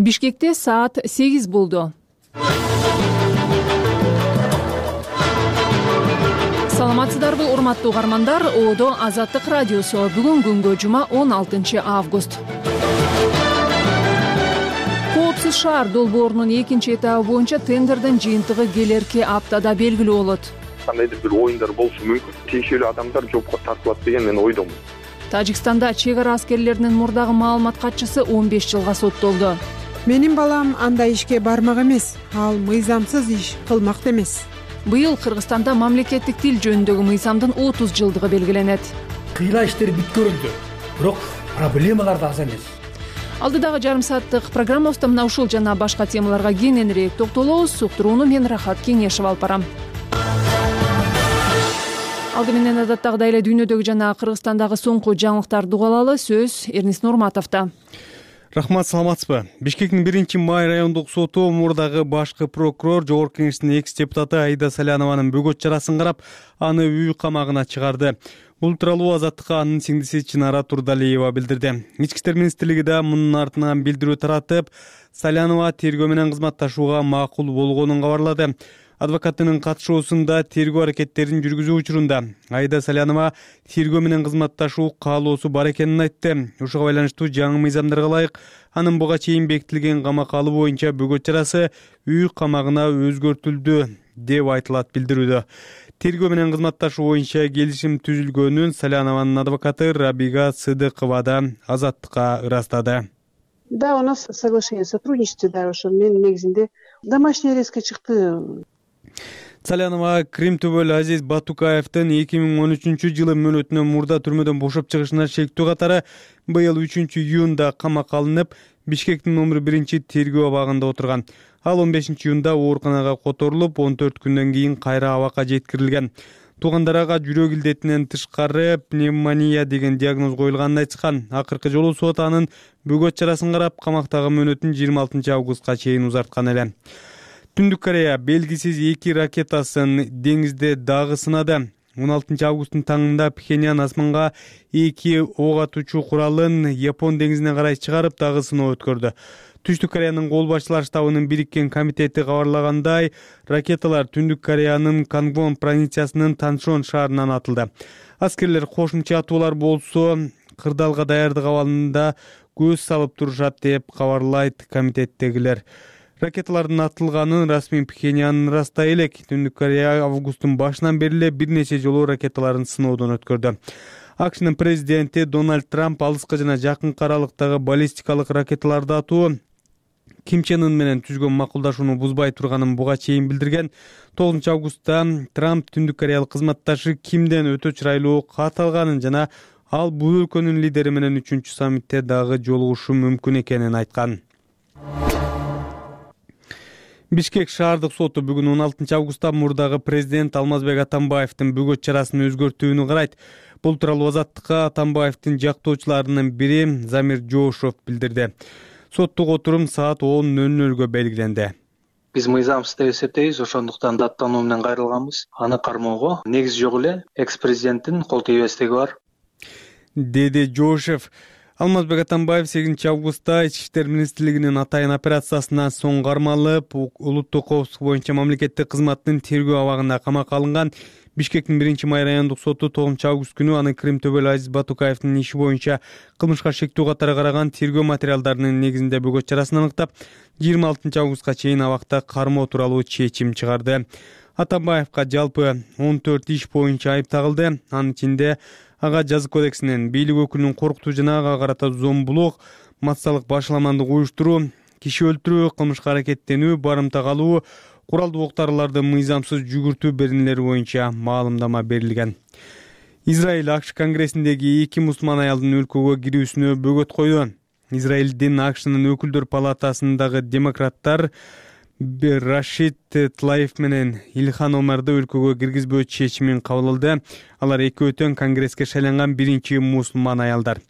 Бишкекте саат 8 болду. Саламатсыздарбы, урматтуу угармандар. Оодо Азаттык радиосу. Бүгүн күнгө жума 16 август. Коопсуз шаар долбоорунун экинчи этабы боюнча тендердин жыйынтыгы келерки аптада белгилүү болот. Кандайдыр бир оюндар болушу мүмкүн. Тиешелүү адамдар жопко тартылат деген мен ойдомун. Тажикстанда чек ара аскерлеринин мурдагы маалымат катчысы 15 жылга соттолду. Менин балам андай ишке бармак эмес. Ал мыйзамсыз иш кылмак эмес. Быйыл Кыргызстанда мамлекеттик тил жөнүндөгү мыйзамдын 30 жылдыгы белгиленет. Кыйла иштер бүткөрүлдү, бирок проблемалар да аз эмес. Алдыдагы жарым сааттык программабызда мына ушул жана башка темаларга кененирээк токтолобуз. Суктурууну мен Рахат Кеңешев алып барам. Алды менен адаттагыдай эле дүйнөдөгү жана Кыргызстандагы соңку жаңылыктарды угалы. Сөз Эрнис Нурматовдо. Рахмат, саламатсызбы? Бишкектин 1-май райондук соту мурдагы башкы прокурор, жогорку кеңештин экс-депутаты Аида Салянованын бөгөт чарасын карап, аны үй камагына чыгарды. Бул тууралуу Азаттыкка анын сиңдиси Чынара Турдалиева билдирди. Ички иштер министрлиги да мунун артынан билдирүү таратып, Салянова тергөө менен кызматташууга макул болгонун кабарлады. Адвокатынын катышуусунда тергөө аракеттерин жүргүзүү учурунда Аида Салянова тергөө менен кызматташуу каалоосу бар экенин айтты. Ушуга байланыштуу жаңы мыйзамдарга ылайык анын буга чейин бекитилген камак алуу боюнча бөгөт чарасы үй камагына өзгөртүлдү деп айтылат билдирүүдө. Тергөө менен кызматташуу боюнча келишим түзүлгөнүн Салянованын адвокаты Рабига Сыдыкова да Азаттыкка ырастады. Да, у нас соглашение о сотрудничестве, да, ошо мен негизинде домашний арестке чыкты. Салянова Кримтөбөл Азиз Батукаевдин 2013-жылы мөөнөтүнөн мурда түрмөдөн бошоп чыгышына шектүү катары быйыл 3-июнда камакка алынып, Бишкектин номер 1 тергөө абагында отурган. Ал 15-июнда ооруканага которулуп, 14 күндөн кийин кайра абакка жеткирилген. Туугандары ага жүрөк илдетинен тышкары пневмония деген диагноз коюлганын айтышкан. Акыркы жолу сот анын бөгөт чарасын карап, камактагы мөөнөтүн 26 августка чейин узарткан эле. Түндүк Корея белгисиз 2 ракетасын деңизде дагы сынады. 16 августтун таңында Пхеньян асманга 2 ок атуучу куралын Япон деңизине карай чыгарып, дагы сыноо өткөрдү. Түштүк Кореянын кол башчылар штабынын бириккен комитети кабарлагандай, ракеталар Түндүк Кореянын Кангвон провинциясынын Таншон шаарынан атылды. Аскерлер кошумча атуулар болсо кырдаалга даярдык абалында көз салып турушат деп кабарлайт комитеттегилер. Ракеталардын атылганын расмий Пхеньян ырастай элек. Түндүк Корея августтун башынан бери эле бир нече жолу ракеталарын сыноодон өткөрдү. АКШнын президенти Дональд Трамп алыскы жана жакынкы аралыктагы баллистикалык ракеталарды атуу Ким Чен Ын менен түзгөн макулдашууну бузбай турганын буга чейин билдирген. 9 августта Трамп Түндүк Кореялык кызматташы Кимден өтө чырайлуу кат алганын жана ал бул өлкөнүн лидери менен 3-чү саммитте дагы жолугушу мүмкүн экенин айткан. Бишкек шаардык соту бүгүн 16 августта мурдагы президент Алмазбек Атамбаевдин бөгөт чарасын өзгөртүүнү карайт. Бул тууралуу Азаттыкка Атамбаевдин жактоочуларынын бири Замир Жоошов билдирди. Соттук отурум саат 10:00 белгиленди. Биз мыйзамсыз деп эсептейбиз, ошондуктан даттануу менен кайрылганбыз. Аны кармоого негиз жок эле экс-президенттин кол тийбестиги бар, деди Жоошев. Алмазбек Атамбаев 8 августта Ички иштер министрлигинин атайын операциясынан соң кармалып, улуттук коопсуздук боюнча мамлекеттик кызматтын тергөө абагында камакка алынган. Бишкектин 1-май райондук соту 9 август күнү аны Кримтөбөл Азиз Батукаевдин иши боюнча кылмышка шектүү катары караган тергөө материалдарынын негизинде бөгөт чарасын аныктап, 26 августка чейин абакта кармоо тууралуу чечим чыгарды. Атамбаевка жалпы 14 иш боюнча айып тагылды. Анын ичинде ага жазык кодексинен бийлик өкүлүнүн коркутуу жана ага карата зомбулук, массалык башаламандык уюштуруу, киши өлтүрүү, кылмышка аракеттенүү, барымта калуу, куралдуу октарларды мыйзамсыз жүгүртүү беренелери боюнча маалымдама берилген. Израиль АКШ конгрессиндеги 2 мусулман аялдын өлкөгө кирүүсүнө бөгөт койду. Израилдин АКШнын өкүлдөр палатасындагы демократтар Рашид Тлаев менен Илхан Омарды өлкөгө киргизбөө чечимин кабыл алды. Алар экөөтөн конгресске шайланган 1-чи мусулман аялдар.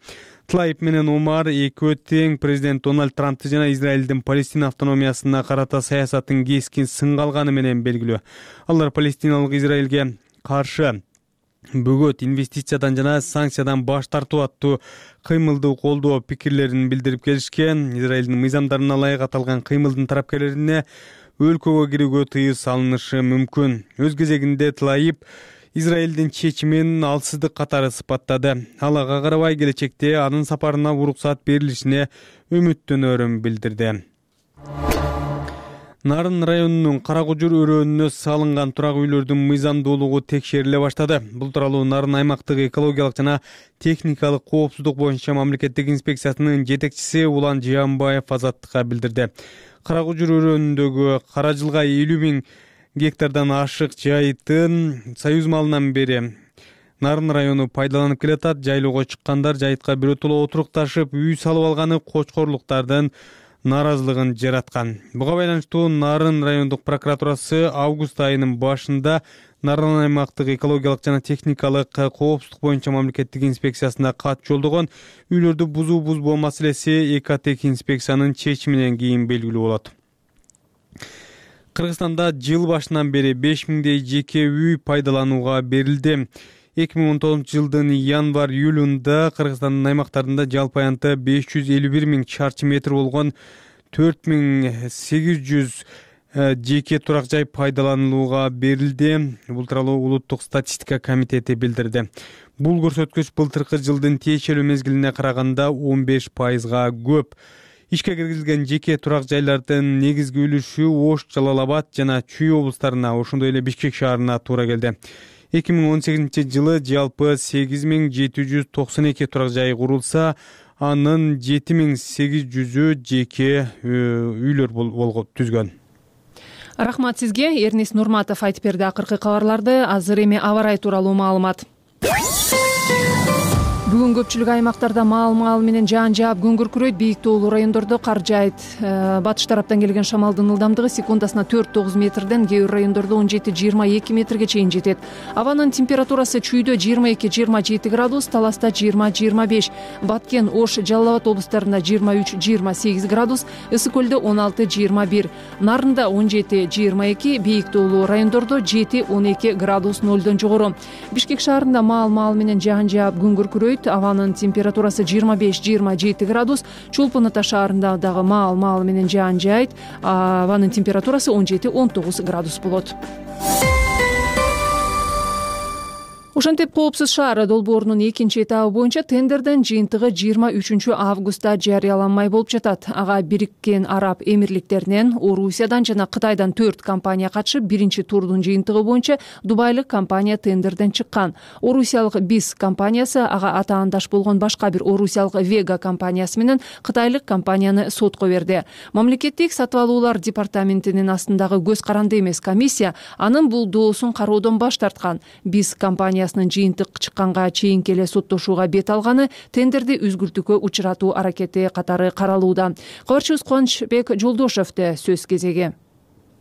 Тлаев менен Омар экөө тең президент Дональд Трампты жана Израилдин Палестина автономиясына карата саясатын кескин сынга алганы менен белгилүү. Алар палестиналык Израилге каршы бөгөт инвестициядан жана санкциядан баш тартуу аттуу кыймылды колдоо пикирлерин билдирип келишкен. Израилдин мыйзамдарына ылайык аталган кыймылдын тарапкерлерине өлкөгө кирүүгө тыюу салынышы мүмкүн. Өз кезегинде Тлаиб Израилдин чечимин алсыздык катары сыпаттады. Ал ага карабай келечекте анын сапарына уруксат берилишине үмүттөнөрүн билдирди. Нарын районунун Каракужур өрөөнүнө салынган турак үйлөрдүн мыйзамдуулугу текшериле баштады. Бул тууралуу Нарын аймактык экологиялык жана техникалык коопсуздук боюнча мамлекеттик инспекциясынын жетекчиси Улан Жыянбаев Азаттыкка билдирди. Каракужур өрөөнүндөгү Кара Жылга 50 000 гектардан ашык жайыттын союз малынан бери Нарын району пайдаланып келатат. Жайлоого чыккандар жайытка биротоло отурукташып, үй салып алганы кочкорлуктардын наразылыгын жараткан. Буга байланыштуу Нарын райондук прокуратурасы август айынын башында Нарын аймактык экологиялык жана техникалык коопсуздук боюнча мамлекеттик инспекциясына кат жолдогон. Үйлөрдү бузуу маселеси ЭКТК инспекциянын чечиминен кийин белгилүү болот. Кыргызстанда жыл башынан бери 5000дей жеке үй пайдаланууга берилди. 2019 жылдын январь-июлунда Кыргызстандын аймактарында жалпы аянты 551 000 чарчы метр болгон 4800 жеке турак жай пайдаланууга берилди. Бул тууралуу Улуттук статистика комитети билдирди. Бул көрсөткүч былтыркы жылдын тиешелүү мезгилине караганда 15%га көп. Ишке киргизилген жеке турак жайлардын негизги үлүшү Ош, Жалал Абад жана Чүй облустарына, ошондой эле Бишкек шаарына туура келди. 2018 жылы жалпы 8792 турак жай курулса, анын 7800-ü жеке үйлөр түзгөн. Рахмат сизге. Эрнис Нурматов айтып берди акыркы кабарларды. Азыр эми аба ырайы тууралуу маалымат. Бүгүн көпчүлүк аймактарда маал менен жаан жаап күн күркүрөйт. Бийик тоолуу райондордо кар жаайт. Батыш тараптан келген шамалдын ылдамдыгы секундасына 4-9 метрден, кээ бир райондордо 17-22 метрге чейин жетет. Абанын температурасы Чүйдө 22-27 градус, Таласта 20-25, Баткен, Ош, Жалал Абад облустарында 23-28 градус, Ысык көлдө 16-21, Нарында 17-22, бийик тоолуу райондордо 7-12 градус нөлдөн жогору. Бишкек шаарында маал менен жаан жаап күн күркүрөйт. Абанын температурасы 25-27 градус. Чолпон Ата шаарында дагы маал менен жаан жаайт. Абанын температурасы 17-19 градус болот. Ошентип коопсуз шаар долбоорунун экинчи этабы боюнча тендердин жыйынтыгы 23 августта жарыяланмай болуп жатат. Ага Бириккен Араб Эмирликтеринен, Орусиядан жана Кытайдан 4 компания катышып, биринчи турдун жыйынтыгы боюнча дубайлык компания тендерден чыккан. Орусиялык БИС компаниясы ага атаандаш болгон башка бир орусиялык Вега компаниясы менен кытайлык компанияны сотко берди. Мамлекеттик сатып алуулар департаментинин астындагы көз каранды эмес комиссия анын бул доосун кароодон баш тарткан. БИС компаниясынын жыйынтык чыкканга чейинки эле соттошууга бет алганы тендерди үзгүлтүүгө учуратуу аракети катары каралууда. Кабарчыбыз Кубанычбек Жолдошевде сөз кезеги.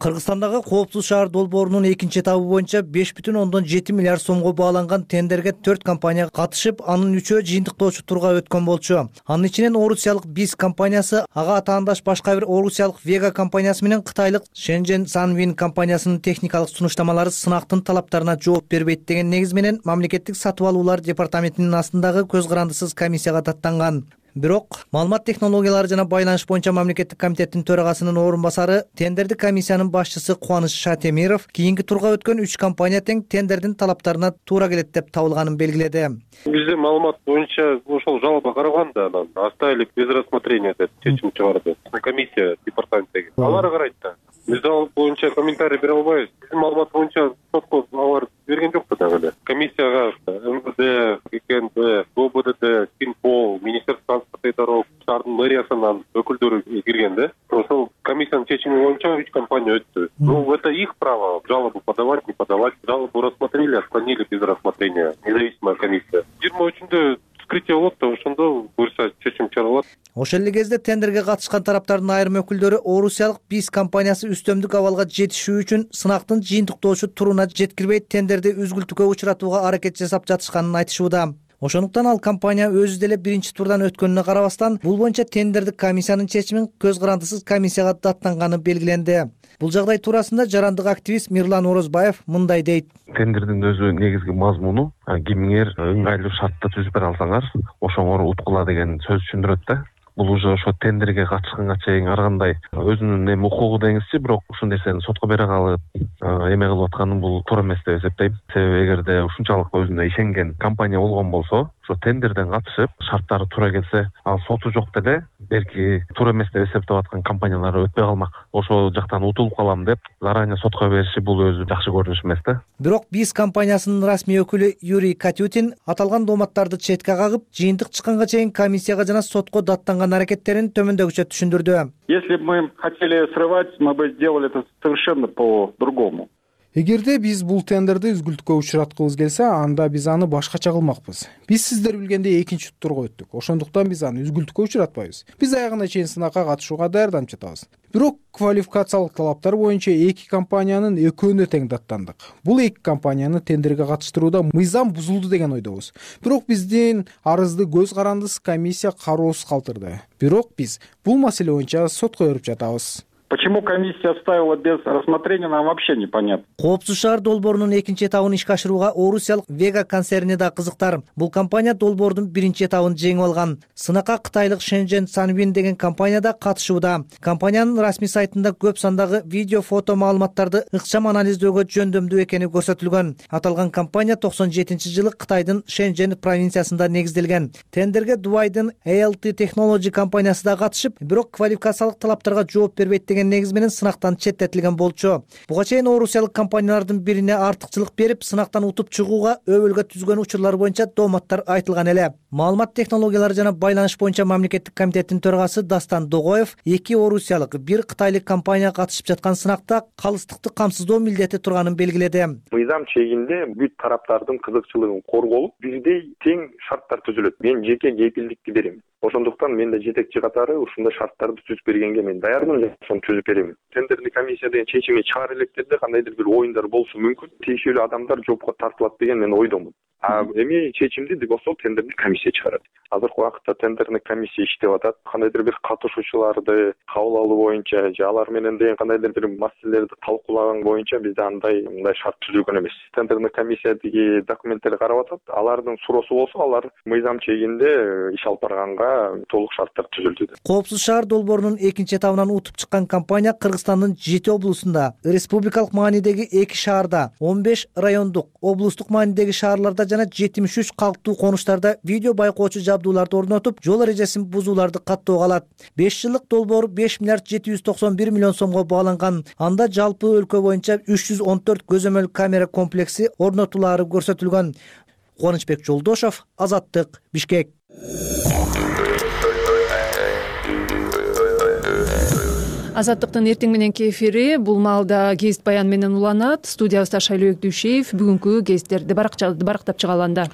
Кыргызстандагы коопсуз шаар долбоорунун экинчи этабы боюнча 5,7 миллиард сомго бааланган тендерге 4 компания катышып, анын 3-өө жыйынтыктоочу турга өткөн болчу. Анын ичинен орусиялык БИС компаниясы, ага атаандаш башка бир орусиялык Вега компаниясы менен кытайлык Shenzhen Sunwind компаниясынын техникалык сунуштамалары сынактын талаптарына жооп бербейт деген негиз менен мамлекеттик сатып алуулар департаментинин астындагы көз карандысыз комиссияга даттанган. Бирок маалымат технологиялары жана байланыш боюнча мамлекеттик комитеттин төрагасынын орун басары, тендерди комиссиянын башчысы Кубаныч Шатемиров кийинки турга өткөн 3 компания тең тендердин талаптарына туура келет деп табылганын белгиледи. Бизде маалымат боюнча ошол жалоба караганда анан оставили без рассмотрения деп чечим чыгарды. Комиссия департаменттеги. Алар карайт да. Биз ал боюнча комментарий бере албайбыз. Биздин маалымат боюнча сотко алар берген жок да дагы эле. Комиссияга МВД, КНБ, ГОБДД, Синпол, Министерство транспорта и дорог, шаардын мэриясынан өкүлдөрү кирген да. Ошол комиссиянын чечими боюнча 3 компания өттү. Ну, это их право жалобу подавать, не подавать. Жалобу рассмотрели, отклонили без рассмотрения. Независимая комиссия. 23-ндө вскрытие болот да, ошондо буюрса чечим чыгарылат. Ошол эле кезде тендерге катышкан тараптардын айрым өкүлдөрү орусиялык БИС компаниясы үстөмдүк абалга жетишүү үчүн сынактын жыйынтыктоочу туруна жеткирбей тендерди үзгүлтүүгө учуратууга аракет жасап жатышканын айтышууда. Ошондуктан ал компания өзү деле биринчи турдан өткөнүнө карабастан бул боюнча тендердик комиссиянын чечимин көз карандысыз комиссияга даттанганы белгиленди. Бул жагдай туурасында жарандык активист Мирлан Орозбаев мындай дейт. Тендердин өзү негизги мазмуну кимиңер ыңгайлуу шартты түзүп бере алсаңар ошоңор уткула деген сөз түшүндүрөт да. Бул уже ошо тендерге катышканга чейин ар кандай өзүнүн укугу деңизчи, бирок ушул нерсени сотко бере калып эме кылып атканы бул туура эмес деп эсептейм. Себеби эгерде ушунчалык өзүнө ишенген компания болгон болсо, ошо тендерден катышып, шарттары туура келсе, ал соту жок деле берки туура эмес деп эсептеп аткан компаниялар өтпөй калмак. Ошол жактан утулуп калам деп заранее сотко бериши бул өзү жакшы көрүнүш эмес да. Бирок БИС компаниясынын расмий өкүлү Юрий Катютин аталган дооматтарды четке кагып, жыйынтык чыкканга чейин комиссияга жана сотко даттанган аракеттерин төмөндөгүчө түшүндүрдү. Если бы мы хотели срывать, мы бы сделали это совершенно по-другому. Эгерде биз бул тендерди үзгүлтүккө учураткыбыз келсе, анда биз аны башкача кылмакпыз. Биз сиздер билгендей экинчи турга өттүк. Ошондуктан биз аны үзгүлтүккө учуратпайбыз. Биз аягына чейин сынакка катышууга даярданып жатабыз. Бирок квалификациялык талаптар боюнча эки компаниянын экөөнө тең даттандык. Бул эки компанияны тендерге катыштырууда мыйзам бузулду деген ойдобуз. Бирок биздин арызды көз карандысыз комиссия кароосуз калтырды. Бирок биз бул маселе боюнча сотко берип жатабыз. Почему комиссия оставила без рассмотрения, нам вообще непонятно. Коопсуз шаар долбоорунун экинчи этабын ишке ашырууга орусиялык Вега концерни да кызыктар. Бул компания долбоордун биринчи этабын жеңип алган. Сынакка кытайлык Шэньчжэнь Санвин деген компания да катышууда. Компаниянын расмий сайтында көп сандагы видео, фото маалыматтарды ыкчам анализдөөгө жөндөмдүү экени көрсөтүлгөн. Аталган компания 97-жылы Кытайдын Шэньчжэнь провинциясында негизделген. Тендерге Дубайдын ALT Technology компаниясы да катышып, бирок квалификациялык талаптарга жооп бербейт деген негиз менен сынактан четтетилген болчу. Буга чейин орусиялык компаниялардын бирине артыкчылык берип, сынактан утуп чыгууга өбөлгө түзгөн учурлар боюнча дооматтар айтылган эле. Маалымат технологиялары жана байланыш боюнча мамлекеттик комитеттин төрагасы Дастан Догоев эки орусиялык, бир кытайлык компания катышып жаткан сынакта калыстыкты камсыздоо милдети турганын белгиледи. Мыйзам чегинде бүт тараптардын кызыкчылыгын корголуп, бирдей тең шарттар түзүлөт. Мен жеке кепилдикти берем. Ошондуктан мен да жетекчи катары ушундай шарттарды түзүп бергенге мен даярмын, ошону түзүп берем. Тендердик комиссия деген чечими чыгара электерде кандайдыр бир оюндар болушу мүмкүн. Тийиштүү адамдар жоопко тартылат деген мен ойдомун. Эми чечимди ошол тендердик комиссия чыгарат. Азыркы убакытта тендердик комиссия иштеп атат. Кандайдыр бир катышуучуларды кабыл алуу боюнча же алар менен деген кандайдыр бир маселелерди талкуулаган боюнча бизде мындай шарт түзүлгөн эмес. Тендердик комиссиядагы документтерди карап атат. Алардын суроосу болсо, алар мыйзам чегинде иш алып барганга толук шарттар түзүлдү. Коопсуз шаар долбоорунун экинчи этабынан утуп чыккан компания Кыргызстандын 7 облусунда, республикалык маанидеги 2 шаарда, 15 райондук, облустук маанидеги шаарларда жана 73 калктуу конуштарда видео байкоочу жабдууларды орнотуп, жол эрежесин бузууларды каттоого алат. 5 жылдык долбоор 5 миллиард 791 миллион сомго бааланган. Анда жалпы өлкө боюнча 314 көзөмөл камера комплекси орнотулаары көрсөтүлгөн. Кубанычбек Жолдошов, Азаттык, Бишкек. Азаттыктын эртең мененки эфири бул маалда гезит баян менен уланат. Студиябызда Шайлообек Дүйшеев бүгүнкү гезиттерди барактап чыгаланда.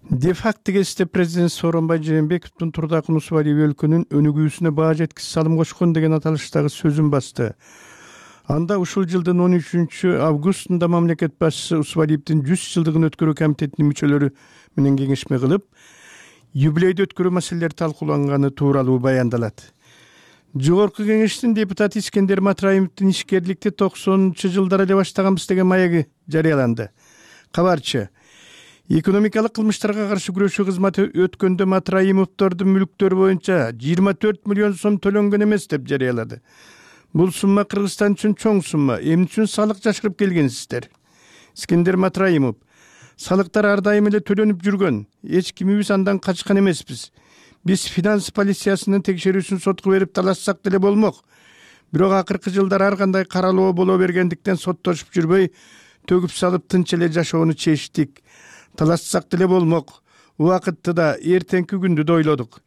Де-факто гезитте президент Сооронбай Жээнбековдун Турдакын Усубалиев өлкөнүн өнүгүүсүнө баа жеткис салым кошкон деген аталыштагы сөзүн басты. Анда ушул жылдын 13 августунда мамлекет башчысы Усубалиевдин 100 жылдыгын өткөрүү комитетинин мүчөлөрү менен кеңешме кылып, юбилейди өткөрүү маселелери талкууланганы тууралуу баяндалат. Жогорку кеңештин депутаты Искендер Матраимовдун ишкерликти 90-жылдары эле баштаганбыз деген маеги жарыяланды. Кабарчы экономикалык кылмыштарга каршы күрөшүү кызматы өткөндө Матраимовдордун мүлктөрү боюнча 24 миллион сом төлөнгөн эмес деп жарыялады. Бул сумма Кыргызстан үчүн чоң сумма. Эмне үчүн салык жашырып келгенсиздер? Искендер Матраимов: салыктар ар дайым эле төлөнүп жүргөн. Эч кимибиз андан качкан эмеспиз. Биз финанс полициясынын текшерүүсүн сотко берип талашсак деле болмок. Бирок акыркы жылдары ар кандай каралоо боло бергендиктен соттошуп жүрбөй, төгүп салып тынч эле жашоону чечтик. Талашсак деле болмок. Убакытты да эртеңки күндү да ойлодук.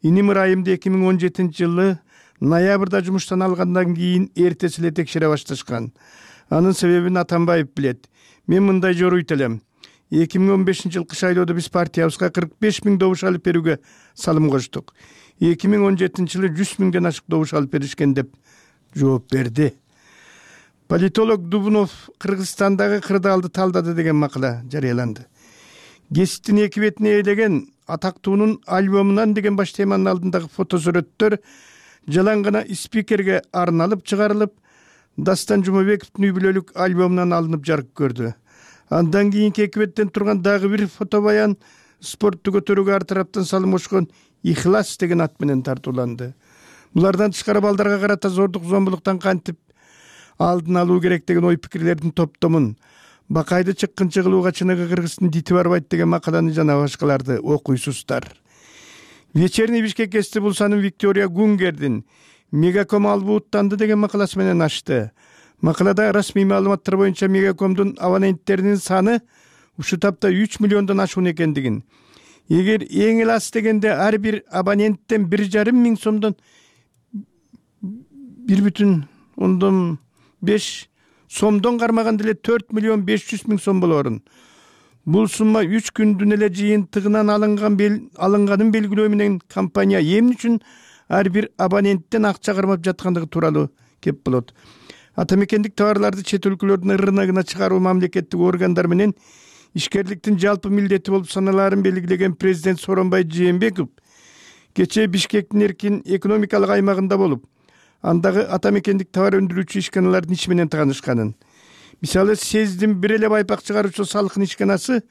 Иним ырайымды 2017 жылы ноябрда жумуштан алгандан кийин эртеси эле текшере башташкан. Анын себебин Атамбаев билет. Мен мындай жоруйт элем. 2015 жыл кыш айлоодо биз партиябызга 45 000 добуш алып берүүгө салым коштук. 2017 жылы 100 000ден ашык добуш алып беришкен деп жооп берди. Политолог Дубунов Кыргызстандагы кырдаалды талдады деген макала жарыяланды. Гезиттин эки бетине ээлеген атактуунун альбомунан деген баш теманын алдындагы фотосурөттөр жалаң гана спикерге арналып чыгарылып, Дастан Жумабековдун үй бүлөлүк альбомунан алынып жарык көрдү. Андан кийинки эки беттен турган дагы бир фотобаян спортту көтөрүүгө ар тараптан салым кошкон Ихлас деген ат менен тартууланды. Булардан тышкары балдарга карата зордук зомбулуктан кантип алдын алуу керек деген ой пикирлердин топтомун, Бакайды чыккынчы кылууга чыныгы кыргыздын дити барбайт деген макаланы жана башкаларды окуйсуздар. Вечерний Бишкек эсти булсанын Виктория Гунгердин Мегаком албууттанды деген макаласы менен ачты. Макалада расмий маалыматтар боюнча Мегакомдун абоненттеринин саны ушу тапта 3 миллиондон ашуун экендигин. Эгер эң эле аз дегенде ар бир абоненттен 1,5 миң сомдон 1,5 сомдон кармаганда эле 4 миллион 500 миң сом болорун. Бул сумма 3 күндүн эле жыйынтыгынан алынганын белгилөө менен компания эмне үчүн ар бир абоненттен акча кармап жаткандыгы тууралуу кеп болот. Атамекендик товарларды чет өлкөлөрдүн рыногуна чыгаруу мамлекеттик органдар менен ишкерликтин жалпы милдети болуп саналаарын белгилеген президент Сооронбай Жээнбеков кечээ Бишкектин эркин экономикалык аймагында болуп, андагы атамекендик товар өндүрүүчү ишканалардын иши менен таанышканын. Мисалы, СЭЗдин бир эле байпак чыгаруучу салкын ишканасы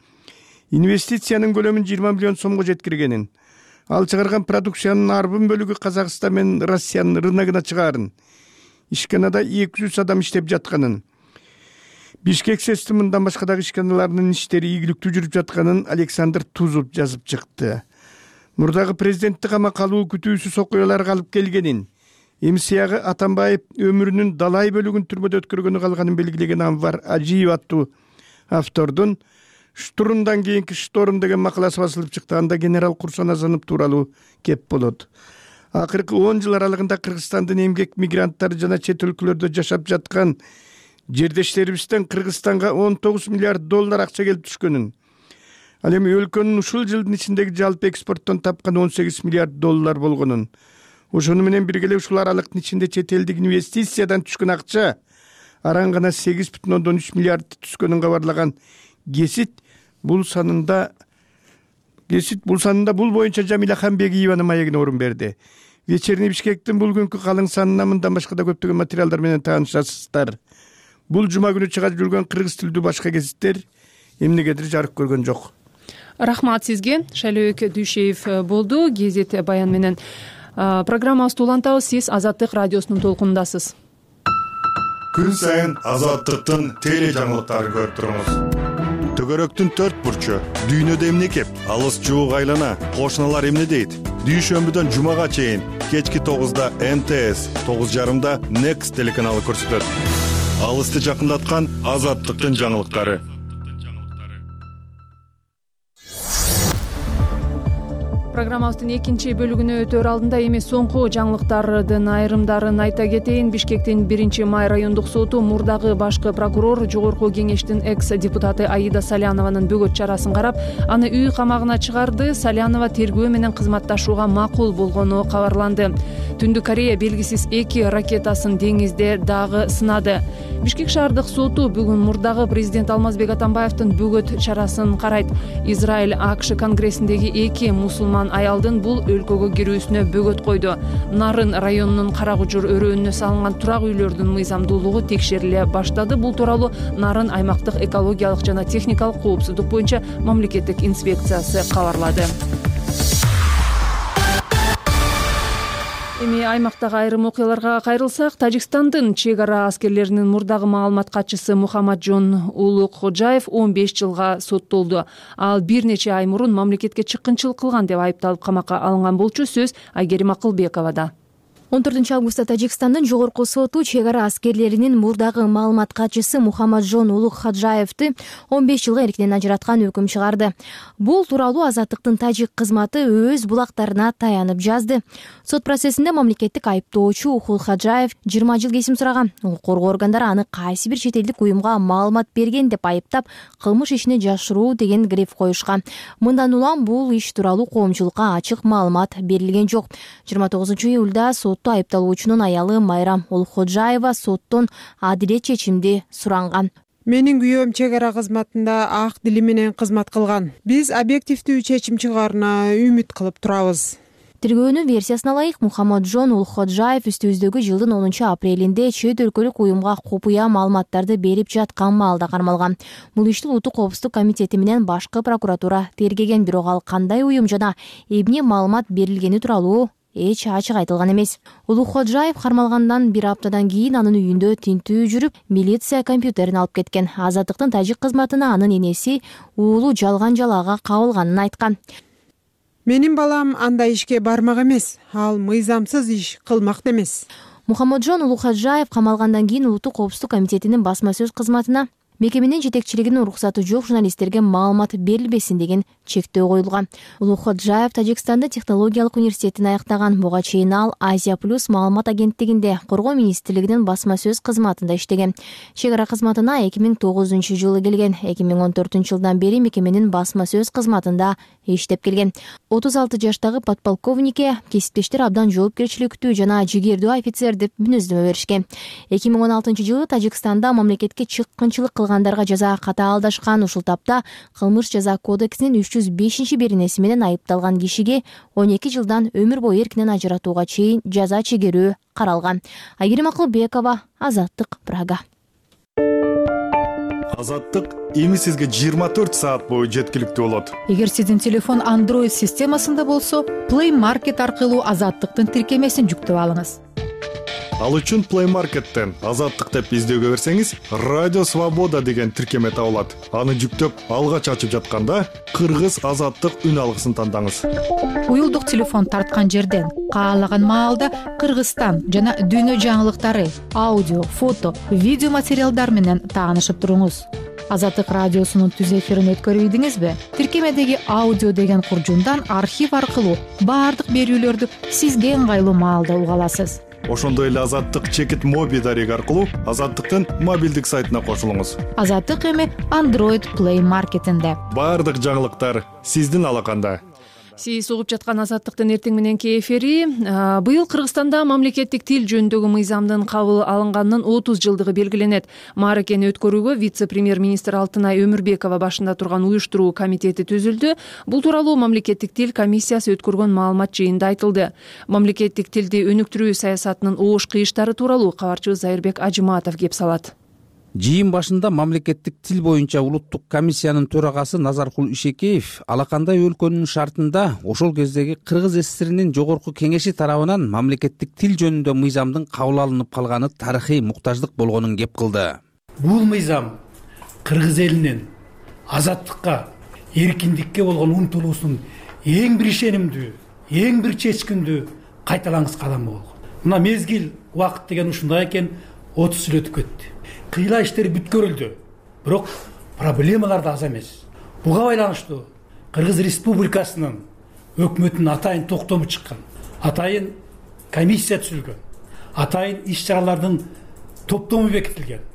инвестициянын көлөмүн 20 миллион сомго жеткиргенин, ал чыгарган продукциянын арбын бөлүгү Казакстан менен Россиянын рыногуна чыгаарын, ишканада 200 адам иштеп жатканын, Бишкек СЭЗдин мындан башка дагы ишканаларынын иштери ийгиликтүү жүрүп жатканын Александр Тузов жазып чыкты. Мурдагы президентти камакка алуу күтүүсүз окуяларга алып келгенин, МСЯгы Атамбаев өмүрүнүн далай бөлүгүн түрмөдө өткөргөнү калганын белгилеген Анвар Ажиев аттуу автордун Штурмдан кийинки шторм деген макаласы басылып чыкты. Анда генерал Курсан Азанов тууралуу кеп болот. Акыркы 10 жыл аралыгында Кыргызстандын эмгек мигранттары жана чет өлкөлөрдө жашап жаткан жердештерибизден Кыргызстанга 19 миллиард доллар акча келип түшкөнүн, ал эми өлкөнүн ушул жылдын ичиндеги жалпы экспорттон тапкан 18 миллиард доллар болгонун, ошону менен бирге эле ушул аралыктын ичинде чет элдик инвестициядан түшкөн акча аран гана 8,3 миллиард түшкөнүн кабарлаган Гезит бул санында бул боюнча Жамиля Хамбегиеванын маегине орун берди. Вечерний Бишкектин бул күнкү калың санына мындан башка да көптөгөн материалдар менен таанышасыздар. Бул жума күнү чыга жүргөн кыргыз тилдүү башка гезиттер эмнегедир жарык көргөн жок. Рахмат сизге. Шайлообек Дүйшеев болду. Гезит баян менен программабызды улантабыз. Сиз Азаттык радиосунун толкунундасыз. Күн сайын Азаттыктын теле жаңылыктарын көрүп туруңуз. Төгөрөктүн 4 бурчу, дүйнөдө эмне кеп, алыс жуук айлана, кошуналар эмне дейт? Дүйшөмбүдөн жумага чейин кечки 9да МТС, 9:30да Next телеканалы көрсөтөт. Алысты жакындаткан Азаттыктын жаңылыктары. Программабыздын экинчи бөлүгүнө өтөр алдында эми соңку жаңылыктардын айрымдарын айта кетейин. Бишкектин 1-май райондук соту мурдагы башкы прокурор Жогорку кеңештин экс-депутаты Аида Салянованын бөгөт чарасын карап, аны үй камагына чыгарды. Салянова тергөө менен кызматташууга макул болгону кабарланды. Түндүк Корея белгисиз 2 ракетасын деңизде дагы сынады. Бишкек шаардык соту бүгүн мурдагы президент Алмазбек Атамбаевдин бөгөт чарасын карайт. Израиль АКШ конгрессиндеги 2 мусулман аялдын бул өлкөгө кирүүсүнө бөгөт койду. Нарын районунун Карагужур өрөөнүнө салынган турак үйлөрдүн мыйзамдуулугу текшериле баштады. Бул тууралуу Нарын аймактык экологиялык жана техникалык коопсуздук боюнча мамлекеттик инспекциясы кабарлады. Эми аймактагы айрым окуяларга кайрылсак, Тажикстандын чек ара аскерлеринин мурдагы маалымат катчысы Мухаммаджон Улукходжаев 15 жылга соттолду. Ал бир нече ай мурун мамлекетке чыккынчылык кылган деп айыпталып камакка алынган болчу. Сөз Айгерим Акылбековада. 14 августта Тажикстандын жогорку соту чек ара аскерлеринин мурдагы маалымат катчысы Мухаммаджон Улукходжаевди 15 жылга эрктен ажыраткан өкүм чыгарды. Бул тууралуу Азаттыктын тажик кызматы өз булактарына таянып жазды. Сот процессинде мамлекеттик айыптоочу Улукходжаев 20 жыл кесим сураган. Укук коргоо органдары аны кайсы бир чет элдик уюмга маалымат берген деп айыптап, кылмыш ишине жашыруу деген гриф коюшкан. Мындан улам бул иш тууралуу коомчулукка ачык маалымат берилген жок. 29 июлда айыпталуучунун аялы Майрам Улукходжаева соттон адилет чечимди суранган. Менин күйөөм чек ара кызматында ак дили менен кызмат кылган. Биз объективдүү чечим чыгаарына үмүт кылып турабыз. Тергөөнүн версиясына ылайык, Мухаммаджон Улукходжаев үстүбүздөгү жылдын 10-апрелинде чет өлкөлүк уюмга купуя маалыматтарды берип жаткан маалда кармалган. Бул ишти Улуттук коопсуздук комитети менен башкы прокуратура тергеген, бирок ал кандай уюм жана эмне маалымат берилгени тууралуу эч ачык айтылган эмес. Улукходжаев кармалгандан бир аптадан кийин анын үйүндө тинтүү жүрүп, милиция компьютерин алып кеткен. Азаттыктын тажик кызматына анын энеси уулу жалган жалаага кабылганын айткан. Менин балам андай ишке бармак эмес, ал мыйзамсыз иш кылмак эмес. Мухаммаджон Улукходжаев камалгандан кийин Улуттук коопсуздук комитетинин басма сөз кызматына мекеменин жетекчилигинин уруксаты жок журналисттерге маалымат берилбесин деген чектөө коюлган. Улукходжаев Тажикстандын технологиялык университетин аяктаган. Буга чейин ал Азия Плюс маалымат агенттигинде Коргоо министрлигинин басма сөз кызматында иштеген. Чек ара кызматына 2009-жылы келген. 2014-жылдан бери мекеменин басма сөз кызматында иштеп келген. 36 жаштагы подполковникке кесиптештер абдан жоопкерчиликтүү жана жигердүү офицер деп мүнөздөмө беришкен. 2016-жылы Тажикстанда мамлекетке чыккынчылык кылгандарга жаза катаалдашкан. Ушул тапта кылмыш жаза кодексинин 305-беренеси менен айыпталган кишиге 12 жылдан өмүр бою эркинен ажыратууга чейин жаза чегерүү каралган. Айгерим Акылбекова, Азаттык, Прага. Азаттык эми сизге 24 саат бою жеткиликтүү болот. Эгер сиздин телефон Android системасында болсо, Play Market аркылуу Азаттыктын тиркемесин жүктөп алыңыз. Ал үчүн Play Market'тен Азаттык деп издөөгө берсеңиз, Радио Свобода деген тиркеме табылат. Аны жүктөп, алгач ачып жатканда Кыргыз Азаттык үн алгысын тандаңыз. Уюлдук телефон тарткан жерден каалаган маалда Кыргызстан жана дүйнө жаңылыктары, аудио, фото, видео материалдар менен таанышып туруңуз. Азаттык радиосунун түз эфирин өткөрбөйдүңүзбү? Тиркемедеги аудио деген куржундан архив аркылуу баардык берүүлөрдү сизге ыңгайлуу маалда уга аласыз. Ошондой эле Азаттык чекит моби дареги аркылуу Азаттыктын мобилдик сайтына кошулуңуз. Азаттык эми Android Play Market'инде. Баардык жаңылыктар сиздин алаканда. Сиз угуп жаткан Азаттыктын эртең мененки эфири. Быйыл Кыргызстанда мамлекеттик тил жөнүндөгү мыйзамдын кабыл алынганынын 30 жылдыгы белгиленет. Мааракени өткөрүүгө вице-премьер-министр Алтынай Өмүрбекова башында турган уюштуруу комитети түзүлдү. Бул тууралуу мамлекеттик тил комиссиясы өткөргөн маалымат жыйында айтылды. Мамлекеттик тилди өнүктүрүү саясатынын оош кыйыштары тууралуу кабарчыбыз Зайырбек Ажыматов кеп салат. Жыйын башында мамлекеттик тил боюнча улуттук комиссиянын төрагасы Назаркул Ишекеев алакандай өлкөнүн шартында ошол кездеги Кыргыз ССРинин жогорку кеңеши тарабынан мамлекеттик тил жөнүндө мыйзамдын кабыл алынып калганы тарыхый муктаждык болгонун кеп кылды. Бул мыйзам Кыргыз элинин азаттыкка, эркиндикке болгон умтулуусунун эң бир ишенимдүү, эң бир чечкиндүү кайталангыс кадамы болгон. Мына мезгил убакыт деген ушундай экен, 30 жыл өтүп кетти. Кыйла иштер бүткөрүлдү, бирок проблемалар да аз эмес. Буга байланыштуу Кыргыз Республикасынын өкмөтүнүн атайын токтому чыккан, атайын комиссия түзүлгөн, атайын иш-чаралардын топтому бекитилген.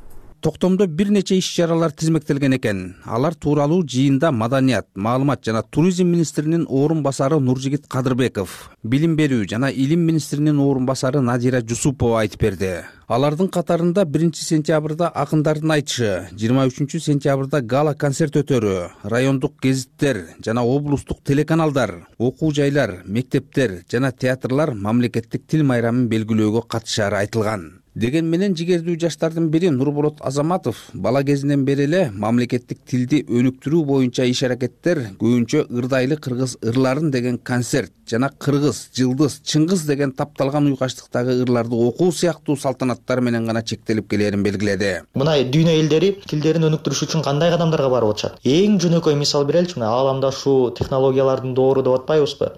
Токтомдо бир нече иш-чаралар тизмектелген экен. Алар тууралуу жыйында Маданият, маалымат жана туризм министринин орун басары Нуржигит Кадырбеков, билим берүү жана илим министринин орун басары Надира Жусупова айтып берди. Алардын катарында 1-сентябрда акындардын айтышы, 23-сентябрда гала концерт өтөрү, райондук гезиттер жана облустук телеканалдар, окуу жайлар, мектептер жана театрлар мамлекеттик тил майрамын белгилөөгө катышары айтылган. Деген менен жигердүү жаштардын бири Нурболот Азаматов бала кезинен бери эле мамлекеттик тилди өнүктүрүү боюнча иш-аракеттер көбүнчө ырдайлы кыргыз ырларын деген концерт жана кыргыз, жылдыз, чыңгыз деген тапталган уйкачтыктагы ырларды окуу сыяктуу салтанаттар менен гана чектелип келерин белгиледи. Мына дүйнө элдери тилдерин өнүктүрүш үчүн кандай кадамдарга барып атышат? Эң жөнөкөй мисал береличи, мына ааламда ушул технологиялардын доору деп атпайбызбы?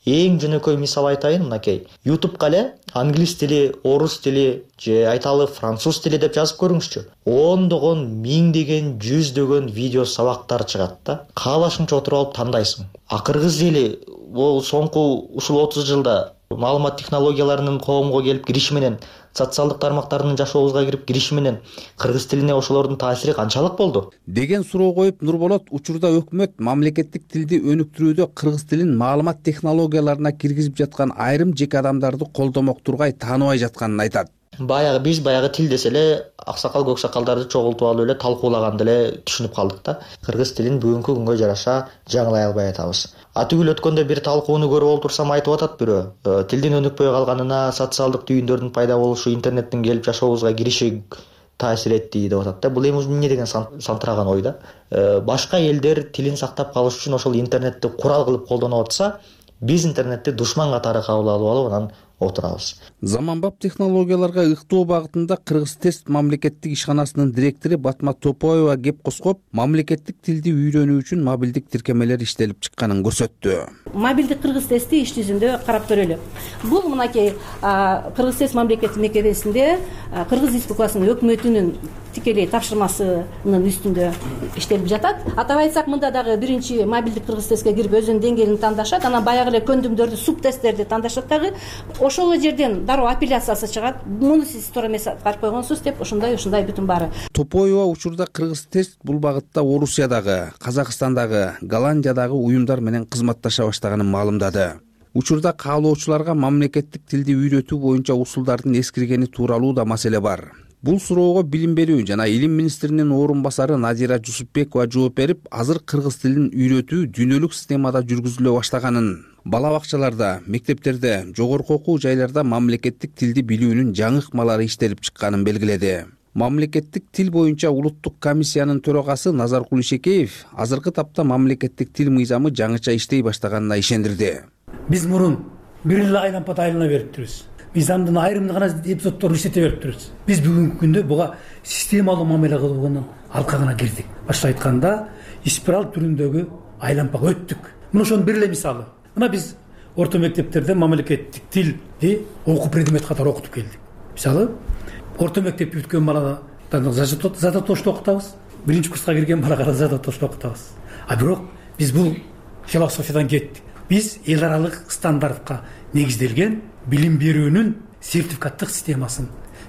Эң жөнөкөй мисал айтайын, мынакей. YouTube'га эле англис тили, орус тили же айталы француз тили деп жазып көрүңүзчү. Ондогон, миңдеген, жүздөгөн видео сабактар чыгат да. Каалашыңча отуруп алып тандайсың. А кыргыз эли бул соңку ушул 30 жылда маалымат технологияларынын коомго келип кириши менен, социалдык тармактардын жашообузга кирип кириши менен кыргыз тилине ошолордун таасири канчалык болду? Деген суроо коюп Нурболот учурда өкмөт мамлекеттик тилди өнүктүрүүдө кыргыз тилин маалымат технологияларына киргизип жаткан айрым жеке адамдарды колдомок тургай, тааныбай жатканын айтат. Биз баягы тил десе эле аксакал көксакалдарды чогултуп алып эле талкуулаганды эле түшүнүп калдык да. Кыргыз тилин бүгүнкү күнгө жараша жаңылай албай атабыз. Түгүл өткөндө бир талкууну көрүп олтурсам айтып атат бирөө. Тилдин өнүкпөй калганына социалдык түйүндөрдүн пайда болушу, интернеттин келип жашообузга кириши таасир этти деп атат да. Бул эми эмне деген сантыраган ой да. Башка элдер тилин сактап калыш үчүн ошол интернетти курал кылып колдонуп атса, биз интернетти душман катары кабыл алып анан отурабыз. Заманбап технологияларга ыктоо багытында Кыргыз тест мамлекеттик ишканасынын директору Батма Топоева кеп коскоп, мамлекеттик тилди үйрөнүү үчүн мобилдик тиркемелер иштелип чыкканын көрсөттү. Мобилдик кыргыз тести иш жүзүндө карап көрөлү. Бул мынакей Кыргыз тест мамлекеттик мекемесинде Кыргыз Республикасынын өкмөтүнүн тикелей тапшырмасынын үстүндө иштелип жатат. Атап айтсак, мында дагы биринчи мобилдик кыргыз тестке кирип өзүнүн деңгээлин тандашат, анан баягы эле көндүмдөрдү, субтесттерди тандашат дагы. Ошол жерден дароо апелляциясы чыгат. Муну сиз туура эмес аткарып койгонсуз деп ушундай бүтүн баары. Топоева учурда Кыргыз тест бул багытта Орусиядагы, Казакстандагы, Голландиядагы уюмдар менен кызматташа баштаганын маалымдады. Учурда каалоочуларга мамлекеттик тилди үйрөтүү боюнча усулдардын эскиргени тууралуу да маселе бар. Бул суроого Билим берүү жана Илим министринин орун басары Надира Жусупбекова жооп берип, азыр кыргыз тилин үйрөтүү дүйнөлүк системада жүргүзүлө баштаганын, бала бакчаларда, мектептерде, жогорку окуу жайларда мамлекеттик тилди билүүнүн жаңы ыкмалары иштелип чыкканын белгиледи. Мамлекеттик тил боюнча улуттук комиссиянын төрагасы Назаркул Ишекеев азыркы тапта мамлекеттик тил мыйзамы жаңыча иштей баштаганына ишендирди. Биз мурун бир эле айлампада айлана бериптирбиз. Мыйзамдын айрым гана эпизоддорун иштете бериптирбиз. Биз бүгүнкү күндө буга системалуу мамиле кылуунун алкагына кирдик. Башта айтканда, спираль түрүндөгү айлампага өттүк. Мына ошонун бир эле мисалы. Мына биз орто мектептерде мамлекеттик тилди окуу предмет катары окутуп келдик. Мисалы, орто мектепти бүткөн баладан задатошто окутабыз, биринчи курска кирген балага задатошто окутабыз. Бирок биз бул философиядан кеттик. Биз эл аралык стандартка негизделген билим берүүнүн сертификаттык системасын,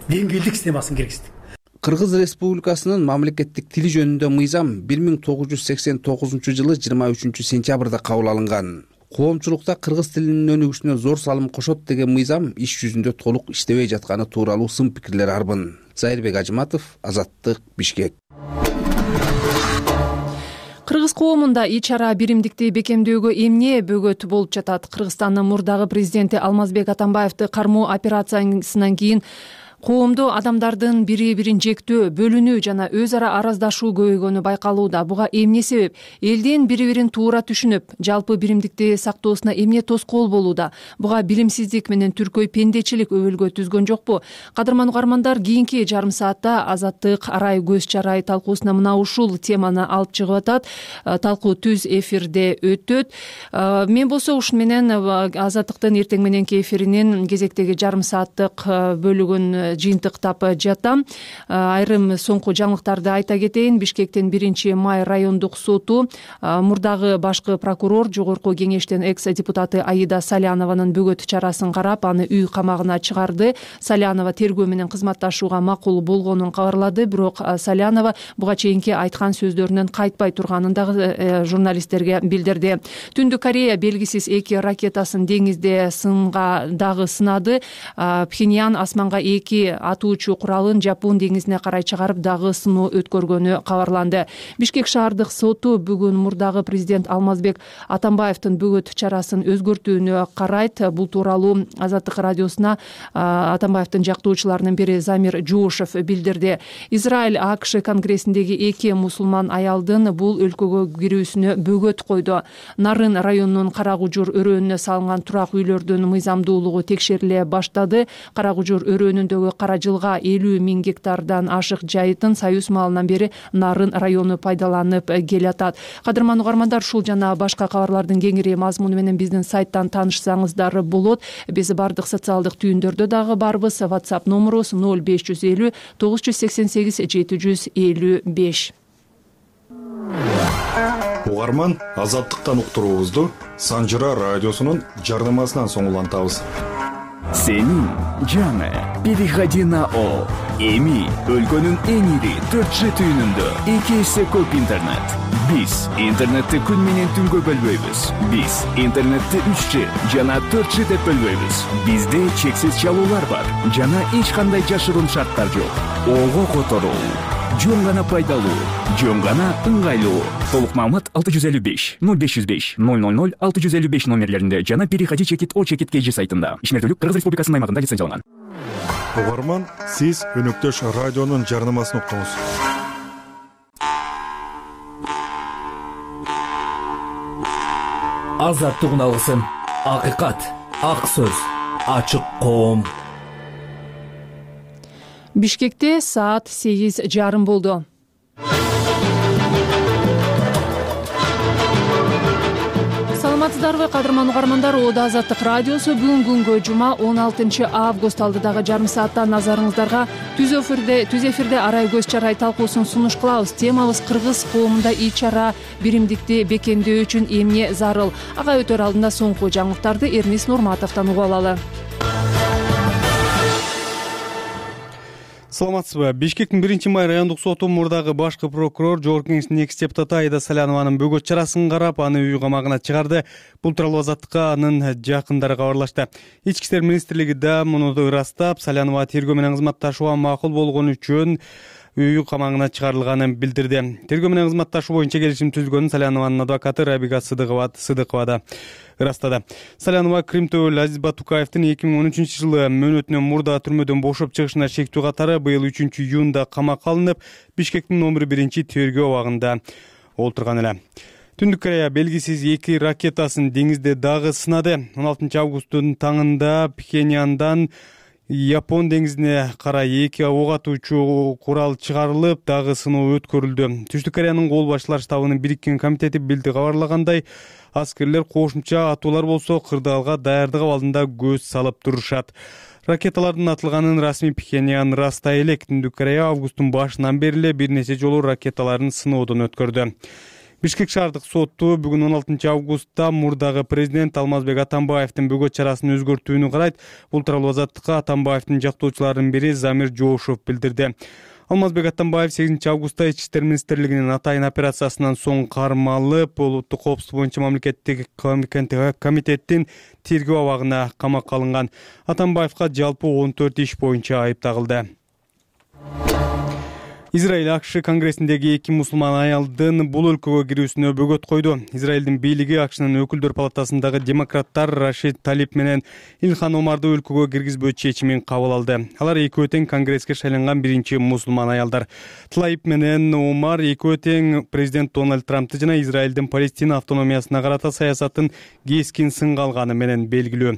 деңгээлдик системасын киргиздик. Кыргыз Республикасынын мамлекеттик тили жөнүндө мыйзам 1989 жылы 23 сентябрда кабыл алынган. Коомчулукта кыргыз тилинин өнүгүшүнө зор салым кошот деген мыйзам иш жүзүндө толук иштебей жатканы тууралуу сын пикирлер арбын. Зайырбек Ажыматов, Азаттык, Бишкек. Кыргыз коомунда ич-чара биримдикти бекемдөөгө эмне бөгөт болуп жатат? Кыргызстандын мурдагы президенти Алмазбек Атамбаевди кармоо операциясынан кийин коомдо адамдардын бири-бирин жектөө, бөлүнүү жана өз ара араздашуу көбөйгөнү байкалууда. Буга эмне себеп? Элдин бири-бирин туура түшүнүп, жалпы биримдикти сактоосуна эмне тоскоол болууда? Буга билимсиздик менен түркөй пендечилик өбөлгө түзгөн жокпу? Кадырман угармандар, кийинки жарым саатта Азаттык арай көз чарай талкуусуна мына ушул теманы алып чыгып атат. Талкуу түз эфирде өтөт. Мен болсо ушун менен Азаттыктын эртең мененки эфиринин кезектеги жарым сааттык бөлүгүн жыйынтыктап жатам. Айрым соңку жаңылыктарды айта кетейин. Бишкектин 1-май райондук соту мурдагы башкы прокурор, жогорку кеңештин экс-депутаты Аида Салянованын бөгөт чарасын карап, аны үй камагына чыгарды. Салянова тергөө менен кызматташууга макул болгонун кабарлады, бирок Салянова буга чейинки айткан сөздөрүнөн кайтпай турганын дагы журналисттерге билдирди. Түндүк Корея белгисиз 2 ракетасын деңизде сынга дагы сынады. Пхеньян асманга 2 атуучу куралын Жапон деңизине карай чыгарып дагы сыноо өткөргөнү кабарланды. Бишкек шаардык соту бүгүн мурдагы президент Алмазбек Атамбаевдин бөгөт чарасын өзгөртүүнү карайт. Бул тууралуу Азаттык радиосуна Атамбаевдин жактоочуларынын бири Замир Жошев билдирди. Израиль АКШ конгрессиндеги 2 мусулман аялдын бул өлкөгө кирүүсүнө бөгөт койду. Нарын районунун Карагужур өрөөнүнө салынган турак үйлөрдүн мыйзамдуулугу текшериле баштады. Карагужур өрөөнүндөгү Кара жылга 50 000 гектардан ашык жайытын Союз маалынан бери Нарын району пайдаланып келатат. Кадырман угармандар, ушул жана башка кабарлардын кеңири мазмуну менен биздин сайттан таанышсаңыздар болот. Биз бардык социалдык түйүндөрдө дагы барбыз. WhatsApp номерубуз 0550 988 755. Угарман, Азаттыктан уктуруубузду Санжыра радиосунун жардамасынан соң улантабыз. Сенин жаңы переходи на Эми өлкөнүн эң ири 4G түйүнүндө 2 эсе көп интернет. Биз интернетти күн менен түнгө бөлбөйбүз. Биз интернетти 3G жана 4G деп бөлбөйбүз. Бизде чексиз чалуулар бар жана эч кандай жашыруун шарттар жок. Ого которуу, жөн гана пайдалуу, жөн гана ыңгайлуу. Толук маалымат 655 0505 000 655 номерлеринде жана Переходи чекит О чекит KG сайтында. Ишмердүүлүк Кыргыз Республикасынын аймагында лицензияланган. Угарман, сиз Өнөктөш радионун жарнамасын уктуңуз. Азаттык алсын, акыйкат, ак сөз, ачык коом. Бишкекте саат 8:30 болду. Саламатсыздарбы, кадырман угармандар? Ода Азаттык радиосу бүгүн күнгө жума 16 август алдыдагы жарым саатта назарыңыздарга түз эфирде арай көз чарай талкуусун сунуш кылабыз. Темабыз кыргыз коомунда ич-чара биримдикти бекемдөө үчүн эмне зарыл. Ага өтөр алдында соңку жаңылыктарды Эрнис Нурматовдон угуп алалы. Саламатсызбы. Бишкектин 1-май райондук соту мурдагы башкы прокурор Жогорку Кеңештин экс депутаты Айда Салянованын бөгөт чарасын карап, аны үй камагына чыгарды. Бул тууралуу Азаттыкка анын жакындары кабарлашты. Ички иштер министрлиги да муну ырастап, Салянова тергөө менен кызматташууга макул болгон үчүн үй камагына чыгарылганын билдирди. Тергөө менен кызматташуу боюнча келишим түзүлгөнүн Салянованын адвокаты Рабига Сыдыкова да ырастады. Салянова Кримтөбөл Азиз Батукаевдин 2013 жылы мөөнөтүнөн мурда түрмөдөн бошоп чыгышына шектүү катары быйыл 3-июнда камакка алынып, Бишкектин номер 1 тергөө абагында олтурган эле. Түндүк Корея белгисиз 2 ракетасын деңизде дагы сынады. 16 августтун таңында Пхеньяндан Япон деңизине карай 2 ок атуучу курал чыгарылып, дагы сыноо өткөрүлдү. Түштүк Кореянын кол башчылар штабынын бириккен комитети кабарлагандай, аскерлер кошумча атуулар болсо кырдаалга даярдык абалында көз салып турушат. Ракеталардын атылганын расмий Пхеньян ырастай элек. Түндүк Корея августтун башынан бери бир нече жолу ракеталарын сыноодон өткөрдү. Бишкек шаардык соту бүгүн 16 августта мурдагы президент Алмазбек Атамбаевдин бөгөт чарасын өзгөртүүнү карайт. Бул тууралуу Азаттыкка Атамбаевдин жактоочуларынын бири Замир Жоошев билдирди. Алмазбек Атамбаев 8 августта Ички иштер министрлигинин атайын операциясынан соң кармалып, улуттук коопсуздук боюнча мамлекеттик комитеттин тергөө абагына камакка алынган. Атамбаевга жалпы 14 иш боюнча айып тагылды. Израиль АКШ конгрессиндеги 2 мусулман аялдын бул өлкөгө кирүүсүнө бөгөт койду. Израилдин бийлиги АКШнын өкүлдөр палатасындагы демократтар Рашид Талип менен Илхан Омарды өлкөгө киргизбөө чечимин кабыл алды. Алар экөө тең конгресске шайланган биринчи мусулман аялдар. Талип менен Омар экөө тең президент Дональд Трампты жана Израилдин Палестина автономиясына карата саясатын кескин сынга алганы менен белгилүү.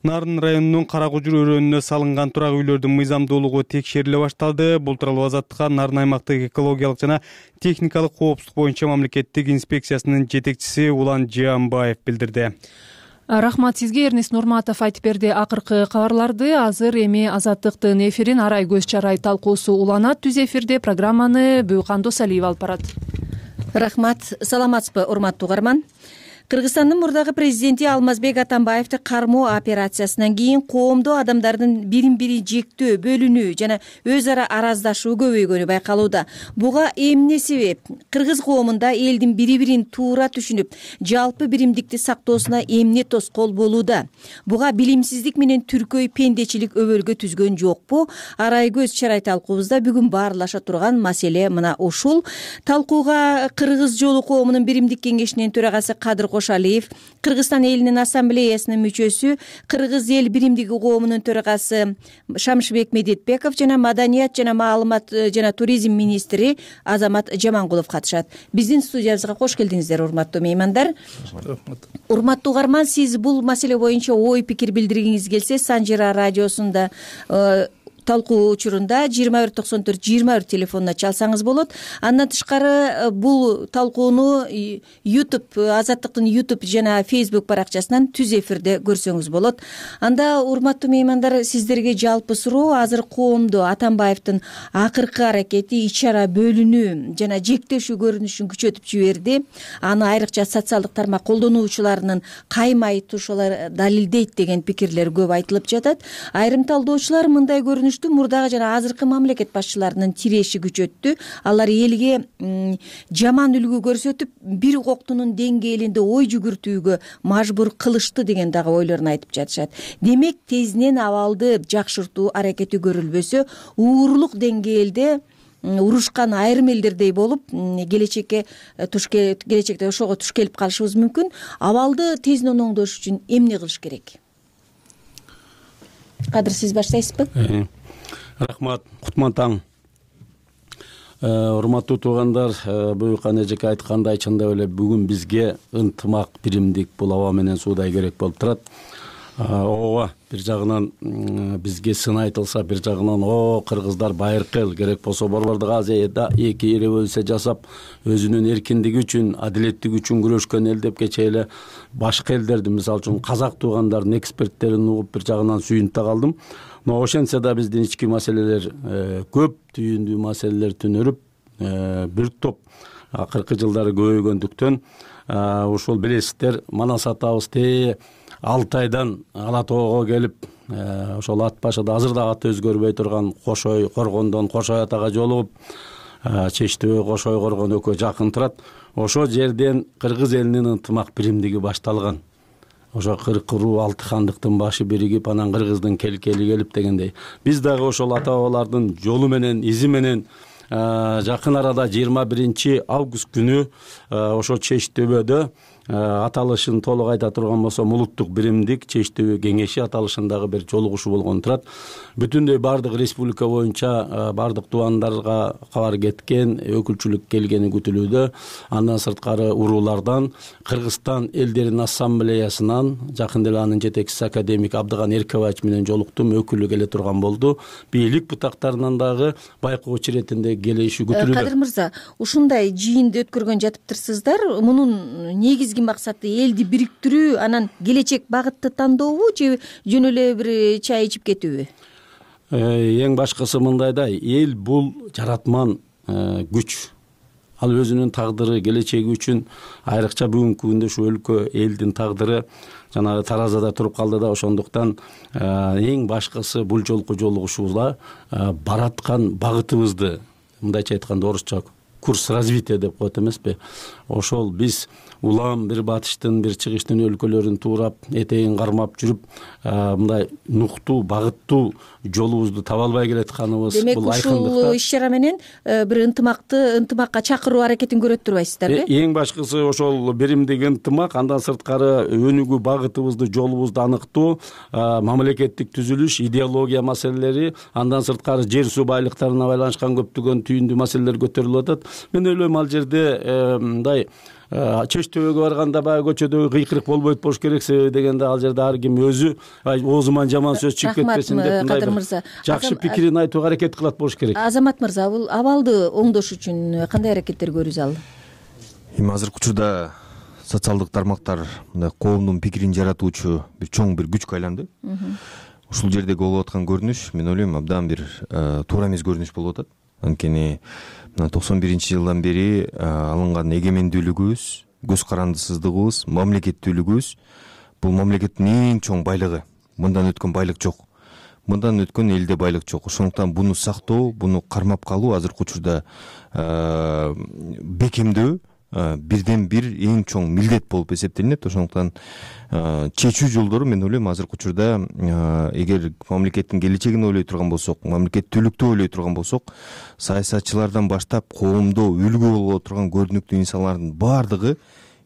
Нарын районунун Каракужур өрөөнүнө салынган турак үйлөрдүн мыйзамдуулугу текшериле башталды. Бул тууралуу Азаттыкка Нарын аймактык экологиялык жана техникалык коопсуздук боюнча мамлекеттик инспекциясынын жетекчиси Улан Жаамбаев билдирди. Рахмат сизге, Эрнис Нурматов айтып берди. Акыркы кабарларды азыр эми Азаттыктын эфирин арай көз чарай талкуусу уланат. Түз эфирде программаны Бүйкандос Алиев алып барат. Рахмат, саламатсызбы, урматтуу угарман? Кыргызстандын мурдагы президенти Алмазбек Атамбаевди кармоо операциясынан кийин коомдо адамдардын бирин-бири жектөө, бөлүнүү жана өз ара араздашуу көбөйгөнү байкалууда. Буга эмне себеп? Кыргыз коомунда элдин бири-бирин туура түшүнүп, жалпы биримдикти сактоосуна эмне тоскоол болууда? Буга билимсиздик менен түркөй пендечилик өбөлгө түзгөн жокпу? Арай көз чарай талкуубузда бүгүн баарлаша турган маселе мына ушул. Талкууга Кыргыз жолу коомунун биримдик кеңешинин төрагасы Кадыр Кошалиев, Кыргызстан элинин ассамблеясынын мүчөсү, Кыргыз эл биримдиги коомунун төрагасы Шамшыбек Медетбеков жана маданият жана маалымат жана туризм министри Азамат Жамангулов катышат. Биздин студиябызга кош келдиңиздер, урматтуу меймандар. Урматтуу угарман, сиз бул маселе боюнча ой пикир билдиргиңиз келсе, Санжира радиосунда талкуу учурунда 2194-21 телефонуна чалсаңыз болот. Андан тышкары бул талкууну YouTube, Азаттыктын YouTube жана Facebook баракчасынан түз эфирде көрсөңүз болот. Анда, урматтуу меймандар, сиздерге жалпы суроо: азыр коомдо Атамбаевдин акыркы аракети ич-чара бөлүнүү жана жектешүү көрүнүшүн күчөтүп жиберди. Аны айрыкча социалдык тармак колдонуучуларынын каймай тушулар далилдейт деген пикирлер көп айтылып жатат. Айрым талдоочулар мындай көрүнүштү болушту. Мурдагы жана азыркы мамлекет башчыларынын тиреши күчөттү. Алар элге жаман үлгү көрсөтүп, бир коктунун деңгээлинде ой жүгүртүүгө мажбур кылышты деген дагы ойлорун айтып жатышат. Демек, тезинен абалды жакшыртуу аракети көрүлбөсө, уурулук деңгээлде урушкан айрым элдердей болуп, келечекте ошого туш келип калышыбыз мүмкүн. Абалды тезинен оңдош үчүн эмне кылыш керек? Кадыр, сиз баштайсызбы? Рахмат, кутман таң. Урматтуу туугандар, буюркан эжеке айткандай, чындап эле бүгүн бизге ынтымак, биримдик бул аба менен суудай керек болуп турат. Ооба, бир жагынан бизге сын айтылса, бир жагынан кыргыздар байыркы эл, керек болсо Борбордук Азияда эки революция жасап, өзүнүн эркиндиги үчүн, адилеттиги үчүн күрөшкөн эл деп кечээ эле башка элдерди, мисалы үчүн казак туугандардын эксперттерин угуп бир жагынан сүйүнүп да калдым. Но ошентсе да биздин ички маселелер көп, түйүндүү маселелер түнөрүп, бир топ акыркы жылдары көбөйгөндүктөн ушул билесиздер, манас атабыз 6 айдан Ала тоого келип, ошол ат башыда азыр да аты өзгөрбөй турган Кошой Коргондон Кошой атага жолугуп, Чечтөбө Кошой Коргон экөө жакын турат. Ошол жерден кыргыз элинин ынтымак биримдиги башталган. Ошо 40 руу 6 хандыктын башы биригип, анан кыргыздын келкели келип дегендей. Биз дагы ошол ата бабалардын жолу менен, изи менен жакын арада 21 август күнү ошо Чечтөбөдө аталышын толук айта турган болсом, улуттук биримдик Чечтөбө кеңеши аталышындагы бир жолугушуу болгон турат. Бүтүндөй бардык республика боюнча бардык туугандарга кабар кеткен, өкүлчүлүк келгени күтүлүүдө. Андан сырткары уруулардан, Кыргызстан элдеринин ассамблеясынан, жакында эле анын жетекчиси академик Абдыган Эркебаевич менен жолуктум, өкүлү келе турган болду. Бийлик бутактарынан дагы байкоочу иретинде келиши күтүлүүдө. Кадыр мырза, ушундай жыйынды өткөргөн жатыптырсыздар. Мунун негизги максаты элди бириктирүү, анан келечек багытты тандообу же жөн эле бир чай ичип кетүүбү? Эң башкысы мындай да, эл бул жаратман күч. Ал өзүнүн тагдыры, келечеги үчүн айрыкча бүгүнкү күндө ушу өлкө элдин тагдыры жанагы таразада туруп калды да, ошондуктан эң башкысы бул жолку жолугушууда бараткан багытыбызды, мындайча айтканда орусча курс развития деп коет эмеспи, ошол биз улам бир батыштын, бир чыгыштын өлкөлөрүн туурап, этегин кармап жүрүп, мындай нуктуу, багыттуу жолубузду таба албай келатканыбыз бул айкындыкта. Демек, ушул иш-чара менен бир ынтымакка чакыруу аракетин көрөт турбайсыздарбы? Эң башкысы ошол биримдик ынтымак, андан сырткары өнүгүү багытыбызды, жолубузду аныктоо, мамлекеттик түзүлүш, идеология маселелери, андан сырткары жер суу байлыктарына байланышкан көптөгөн түйүндүү маселелер көтөрүлүп атат. Мен ойлойм, ал жерде мындай Чечтөбөгө барганда баягы көчөдөгү кыйкырык болбойт болуш керек, себеби дегенде ал жерде ар ким өзү оозуман жаман сөз чыгып кетпесин деп мындай жакшы пикирин айтууга аракет кылат болуш керек. Азамат мырза, бул абалды оңдош үчүн кандай аракеттер көрүү зарыл? Эми азыркы учурда социалдык тармактар мындай коомдун пикирин жаратуучу бир чоң бир күчкө айланды. Ушул жердеги болуп аткан көрүнүш, мен ойлойм, абдан бир туура эмес көрүнүш болуп атат. Анткени 91-жылдан бери алынган эгемендүүлүгүбүз, көз карандысыздыгыбыз, мамлекеттүүлүгүбүз бул мамлекеттин эң чоң байлыгы. Мындан өткөн байлык жок. Мындан өткөн элде байлык жок. Ошондуктан буну сактоо, буну кармап калуу азыркы учурда бекемдөө бирден бир эң чоң милдет болуп эсептелинет. Ошондуктан чечүү жолдору, мен ойлойм, азыркы учурда эгер мамлекеттин келечегин ойлой турган болсок, мамлекеттүүлүктү ойлой турган болсок, саясатчылардан баштап коомдо үлгү боло турган көрүнүктүү инсандардын баардыгы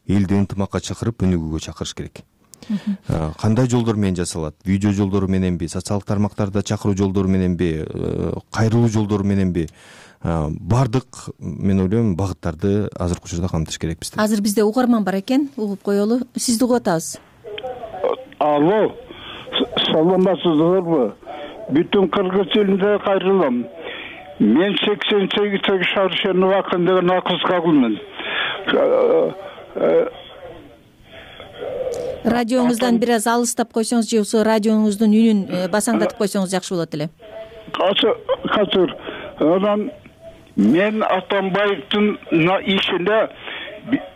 элди ынтымакка чакырып, өнүгүүгө чакырыш керек. Кандай жолдор менен жасалат? Видео жолдору мененби, социалдык тармактарда чакыруу жолдору мененби, кайрылуу жолдору мененби, бардык, мен ойлойм, багыттарды азыркы учурда камтыш керек бизде. Азыр бизде угарман бар экен, угуп коелу. Сизди угуп атабыз. Алло, саламатсыздарбы? Бүтүн кыргыз элине кайрылам. Мен 88 Шаршенов акын деген акыз кагылмын. Радионуңуздан бир аз алыстап койсоңуз же болбосо радионуңуздун үнүн басаңдатып койсоңуз жакшы болот эле. Азыр анан мен Атамбаевдин ишине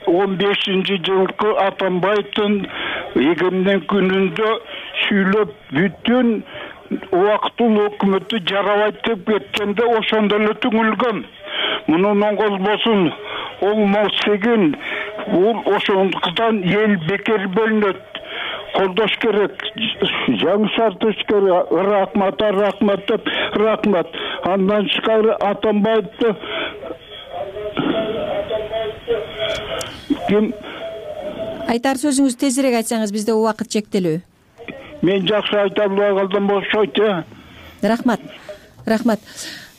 15-жылкы Атамбаевдин эгемден күнүндө сүйлөп, бүтүн убактылуу өкмөтү жарабайт деп кеткенде ошондо эле түңүлгөн. Мунун оңголбосун оңмосегин бул ошондуктан эл бекер бөлүнөт. Колдош керек, жаңы шарт түзүш керек. Рахмат деп рахмат. Андан тышкары Атамбаевди ким айтар сөзүңүздү тезирээк айтсаңыз, бизде убакыт чектелүү. Мен жакшы айта албай калдым окшойт. Рахмат.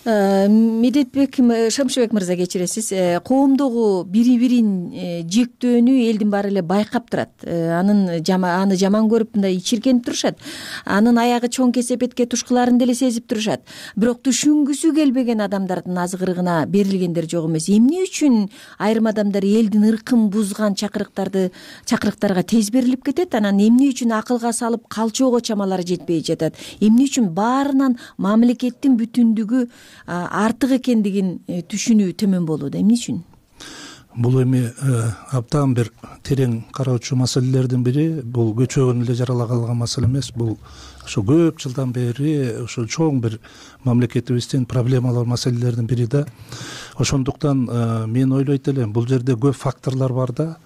Медетбек Шамшыбек мырза, кечиресиз. Коомдогу бири-бирин жектөөнү элдин баары эле байкап турат. Аны жаман көрүп мындай ичиркенип турушат. Анын аягы чоң кесепетке тушкуларын деле сезип турушат. Бирок түшүнгүсү келбеген адамдардын азгырыгына берилгендер жок эмес. Эмне үчүн айрым адамдар элдин ыркын бузган чакырыктарга тез берилип кетет? Анан эмне үчүн акылга салып калчоого чамалары жетпей жатат? Эмне үчүн баарынан мамлекеттин бүтүндүгү артык экендигин түшүнүү төмөн болууда? Эмне үчүн? Бул эми абдан бир терең кароочу маселелердин бири. Бул көчөгөн эле жаралаган маселе эмес. Бул ошо көп жылдан бери ошо чоң бир мамлекетибиздин проблемалар маселелердин бири да. Ошондуктан мен ойлойт элем, бул жерде көп факторлор бар да.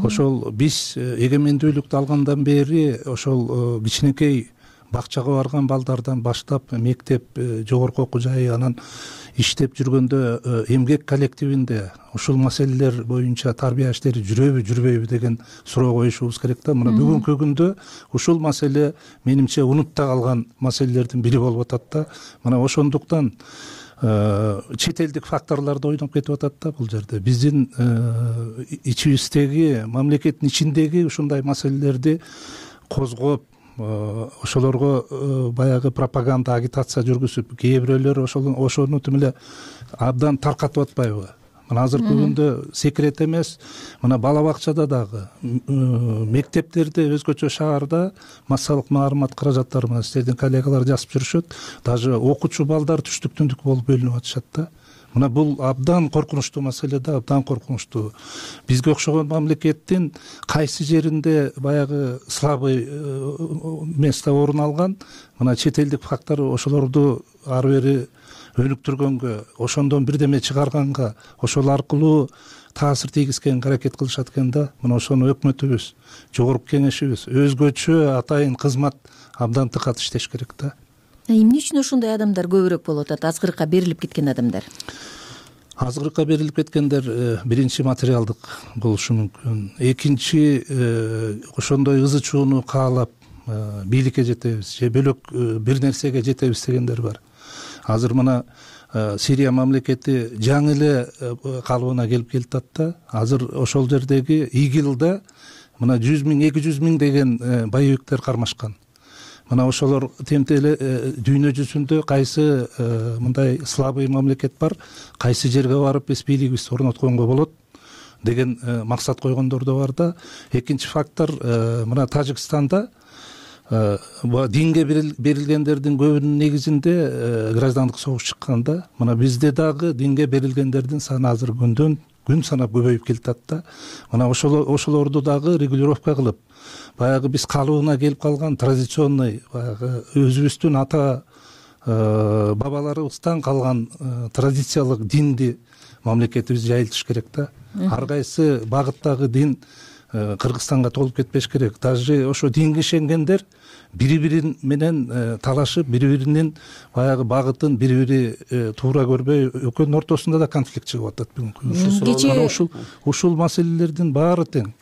Ошол биз эгемендүүлүктү алгандан бери ошол кичинекей бакчага барган балдардан баштап мектеп, жогорку окуу жай, анан иштеп жүргөндө эмгек коллективинде ушул маселелер боюнча тарбия иштери жүрөбү деген суроо коюшубуз керек да. Мына бүгүнкү күндө ушул маселе менимче унутта калган маселелердин бири болуп атат да. Мына ошондуктан чет элдик факторлор да ойноп кетип атат да бул жерде. Биздин ичибиздеги, мамлекеттин ичиндеги ушундай маселелерди козгоп, ошолорго баягы пропаганда, агитация жүргүзүп, кээ бирөөлөр ошону тим эле абдан таркатып атпайбы? Мына азыркы күндө секрет эмес, мына бала бакчада дагы, мектептерде, өзгөчө шаарда массалык маалымат каражаттары менен сиздердин коллегалар жазып жүрүшөт. Даже окуучу балдар түштүк-түндүк болуп бөлүнүп атышат да. Мына бул абдан коркунучтуу маселе да, абдан коркунучтуу. Бизге окшогон мамлекеттин кайсы жеринде баягы слабый место орун алган, мына чет элдик фактор ошолорду ары бери өнүктүргөнгө, ошондон бирдеме чыгарганга, ошол аркылуу таасир тийгизгенге аракет кылышат экен да. Мына ошону өкмөтүбүз, жогорку кеңешибиз өзгөчө атайын кызмат абдан тыкат иштеш керек да. Эмне үчүн ошондой адамдар көбүрөөк болуп атат? Азгырыкка берилип кеткен адамдар. Азгырыкка берилип кеткендер биринчи материалдык болушу мүмкүн. Экинчи ошондой ызы чууну каалап бийликке жетебиз же бөлөк бир нерсеге жетебиз дегендер бар. Азыр мына Сирия мамлекети жаңы эле калыбына келип келатат да. Азыр ошол жердеги ИГИЛда мына 100 000, 200 000 деген боевиктер кармашкан. Мына ошолор темтеле дүйнө жүзүндө кайсы мындай слабый мамлекет бар, кайсы жерге барып биз бийлигибизди орнотконго болот деген максат койгондор да бар да. Экинчи фактор, мына Тажикстанда динге берилгендердин көбүнүн негизинде граждандык согуш чыккан да. Мына бизде дагы динге берилгендердин саны азыр күн санап көбөйүп келатат да. Мына ошолорду дагы регулировка кылып, баягы биз калыбына келип калган традиционный баягы өзүбүздүн ата бабаларыбыздан калган традициялык динди мамлекетибиз жайылтыш керек да. Ар кайсы багыттагы дин Кыргызстанга толуп кетпеш керек. Даже ошо динге ишенгендер бири-бири менен талашып, бири-биринин баягы багытын бири-бири туура көрбөй, экөөнүн ортосунда да конфликт чыгып атат бүгүнкү. Ушул маселелердин баары тең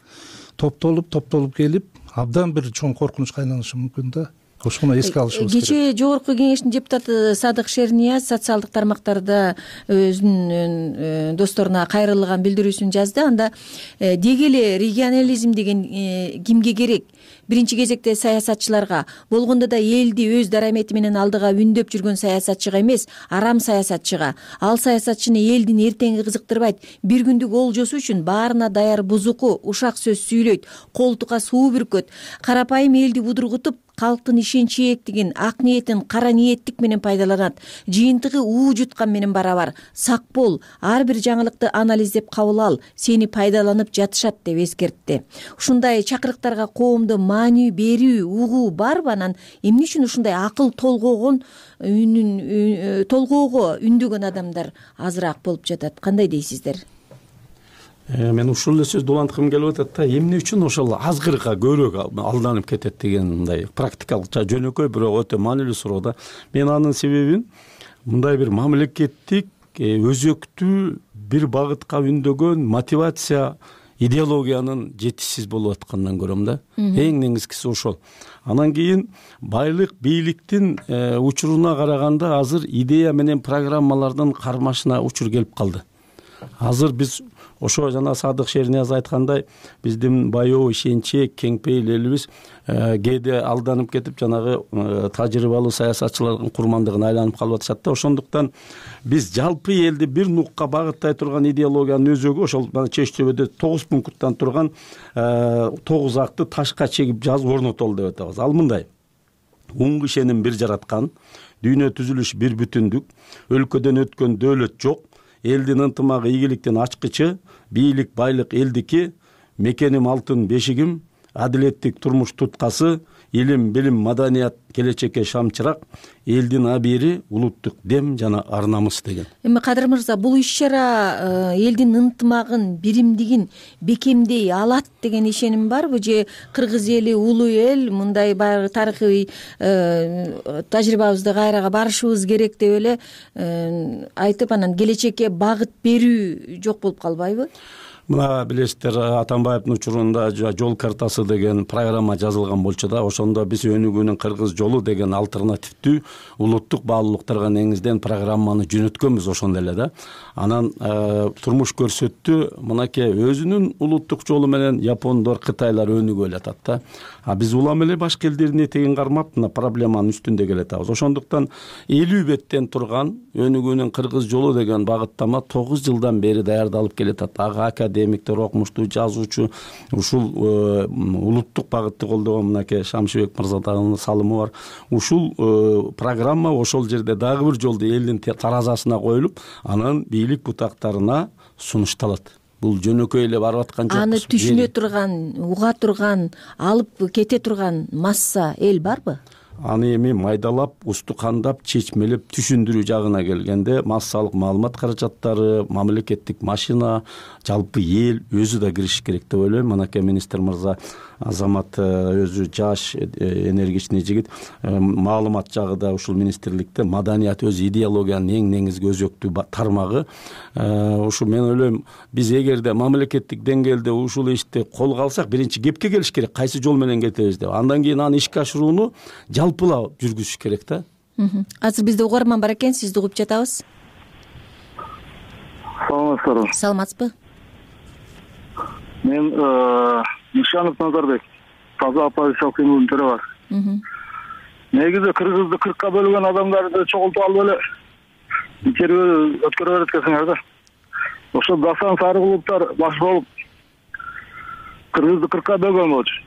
топтолуп келип, абдан бир чоң коркунучка айланышы мүмкүн да. Ошону эске алышыбыз керек. Кечээ жогорку кеңештин депутаты Садык Шернияз социалдык тармактарда өзүнүн досторуна кайрылган билдирүүсүн жазды. Анда деги эле регионализм деген кимге керек? Биринчи кезекте саясатчыларга, болгондо да элди өз дарамети менен алдыга үндөп жүргөн саясатчыга эмес, арам саясатчыга. Ал саясатчыны элдин эртеңи кызыктырбайт. Бир күндүк олжосу үчүн баарына даяр бузуку, ушак сөз сүйлөйт, колтукка суу бүркөт. Карапайым элди будургутуп, калктын ишенчи эктигин, ак ниетин кара ниеттик менен пайдаланат. Жыйынтыгы уу жуткан менен барабар. Сак бол, ар бир жаңылыкты анализдеп кабыл ал, сени пайдаланып жатышат деп эскертти. Ушундай чакырыктарга коомду маани берүү угуу барбы? Анан эмне үчүн ушундай акыл толгоого үндөгөн адамдар азыраак болуп жатат? Кандай дейсиздер? Мен ушул эле сөздү уланткым келип атат да, эмне үчүн ошол азгырка көбүрөөк алданып кетет деген мындай практикалык жөнөкөй бирок өтө маанилүү суроо да. Мен анын себебин мындай бир мамлекеттик өзөктүү бир багытка үндөгөн мотивация идеологиянын жетишсиз болуп атканынан көрөм да. Эң негизгиси ошол. Анан кийин байлык, бийликтин учуруна караганда азыр идея менен программалардын кармашына учур келип калды. Азыр биз ошо жана Садык Шернияз айткандай, биздин баяу ишенчек, кеңпейил элибиз кээде алданып кетип жанагы тажрыйбалуу саясатчылардын курмандыгына айланып калып атышат да. Ошондуктан биз жалпы элди бир нукка багыттай турган идеологиянын өзөгү ошол Чеч Төбөдө 9 пункттан турган 9 акты ташка чегип жазып орнотолу деп атабыз. Ал мындай: унг ишеним бир жараткан, дүйнө түзүлүш бир бүтүндүк, өлкөдөн өткөн дөөлөт жок, элдин ынтымагы ийгиликтин ачкычы, бийлик байлык элдики, мекеним алтын бешигим, адилеттик турмуш туткасы, илим, билим, маданият келечекке шамчырак, элдин абийири, улуттук дем жана ар намыс деген. Эми Кадыр мырза, бул иш-чара элдин ынтымагын, биримдигин бекемдей алат деген ишеним барбы? Же кыргыз эли улуу эл, мындай баягы тарыхый тажрыйбабызды кайрага барышыбыз керек деп эле айтып, анан келечекке багыт берүү жок болуп калбайбы? Мына билесиздер, Атамбаевдин учурунда жол картасы деген программа жазылган болчу да. Ошондо биз өнүгүүнүн кыргыз жолу деген альтернативдүү улуттук баалуулуктарга негизден программаны жөнөткөнбүз ошондо эле да. Анан турмуш көрсөттү. Мынакей өзүнүн улуттук жолу менен япондор, кытайлар өнүгүп атат да. А биз улам эле башка элдердин этегин кармап мына проблеманын үстүндө келатабыз. Ошондуктан 50 беттен турган өнүгүүнүн кыргыз жолу деген багыттама 9 жылдан бери даярдалып келатат. Ага академиктер, окумуштуу, жазуучу, ушул улуттук багытты колдогон мынакей Шамшыбек мырзанын салымы бар. Ушул программа ошол жерде дагы бир жолду элдин таразасына коюлуп, анан бийлик бутактарына сунушталат. Бул жөнөкөй эле барып аткан жок. Аны түшүнө турган, уга турган, алып кете турган масса эл барбы? Аны эми майдалап, устукандап, чечмелеп түшүндүрүү жагына келгенде массалык маалымат каражаттары, мамлекеттик машина, жалпы эл өзү да кириши керек деп ойлойм. Мынакей министр мырза Азамат өзү жаш, энергичный жигит, маалымат жагыда ушул министрликте маданият өз идеологиянын эң негизги өзөктүү тармагы. Ушу мен ойлойм, биз эгерде мамлекеттик деңгээлде ушул ишти колго алсак, биринчи кепке келиш керек, кайсы жол менен кетебиз деп. Андан кийин аны ишке ашырууну жалпылап жүргүзүш керек да. Азыр бизде угарман бар экен, сизди угуп жатабыз. Саламатсыздарбы? Саламатсызбы? Мен Нишанов Назарбек, таза оппозициялык кыймылдын төрөгасы. Негизи кыргызды 40ка бөлгөн адамдарды чогултуп алып эле интервью өткөрө берет экенсиңер да. Ошо Гасан Сарыгуловдор баш болуп кыргызды 40ка бөлгөн болчу.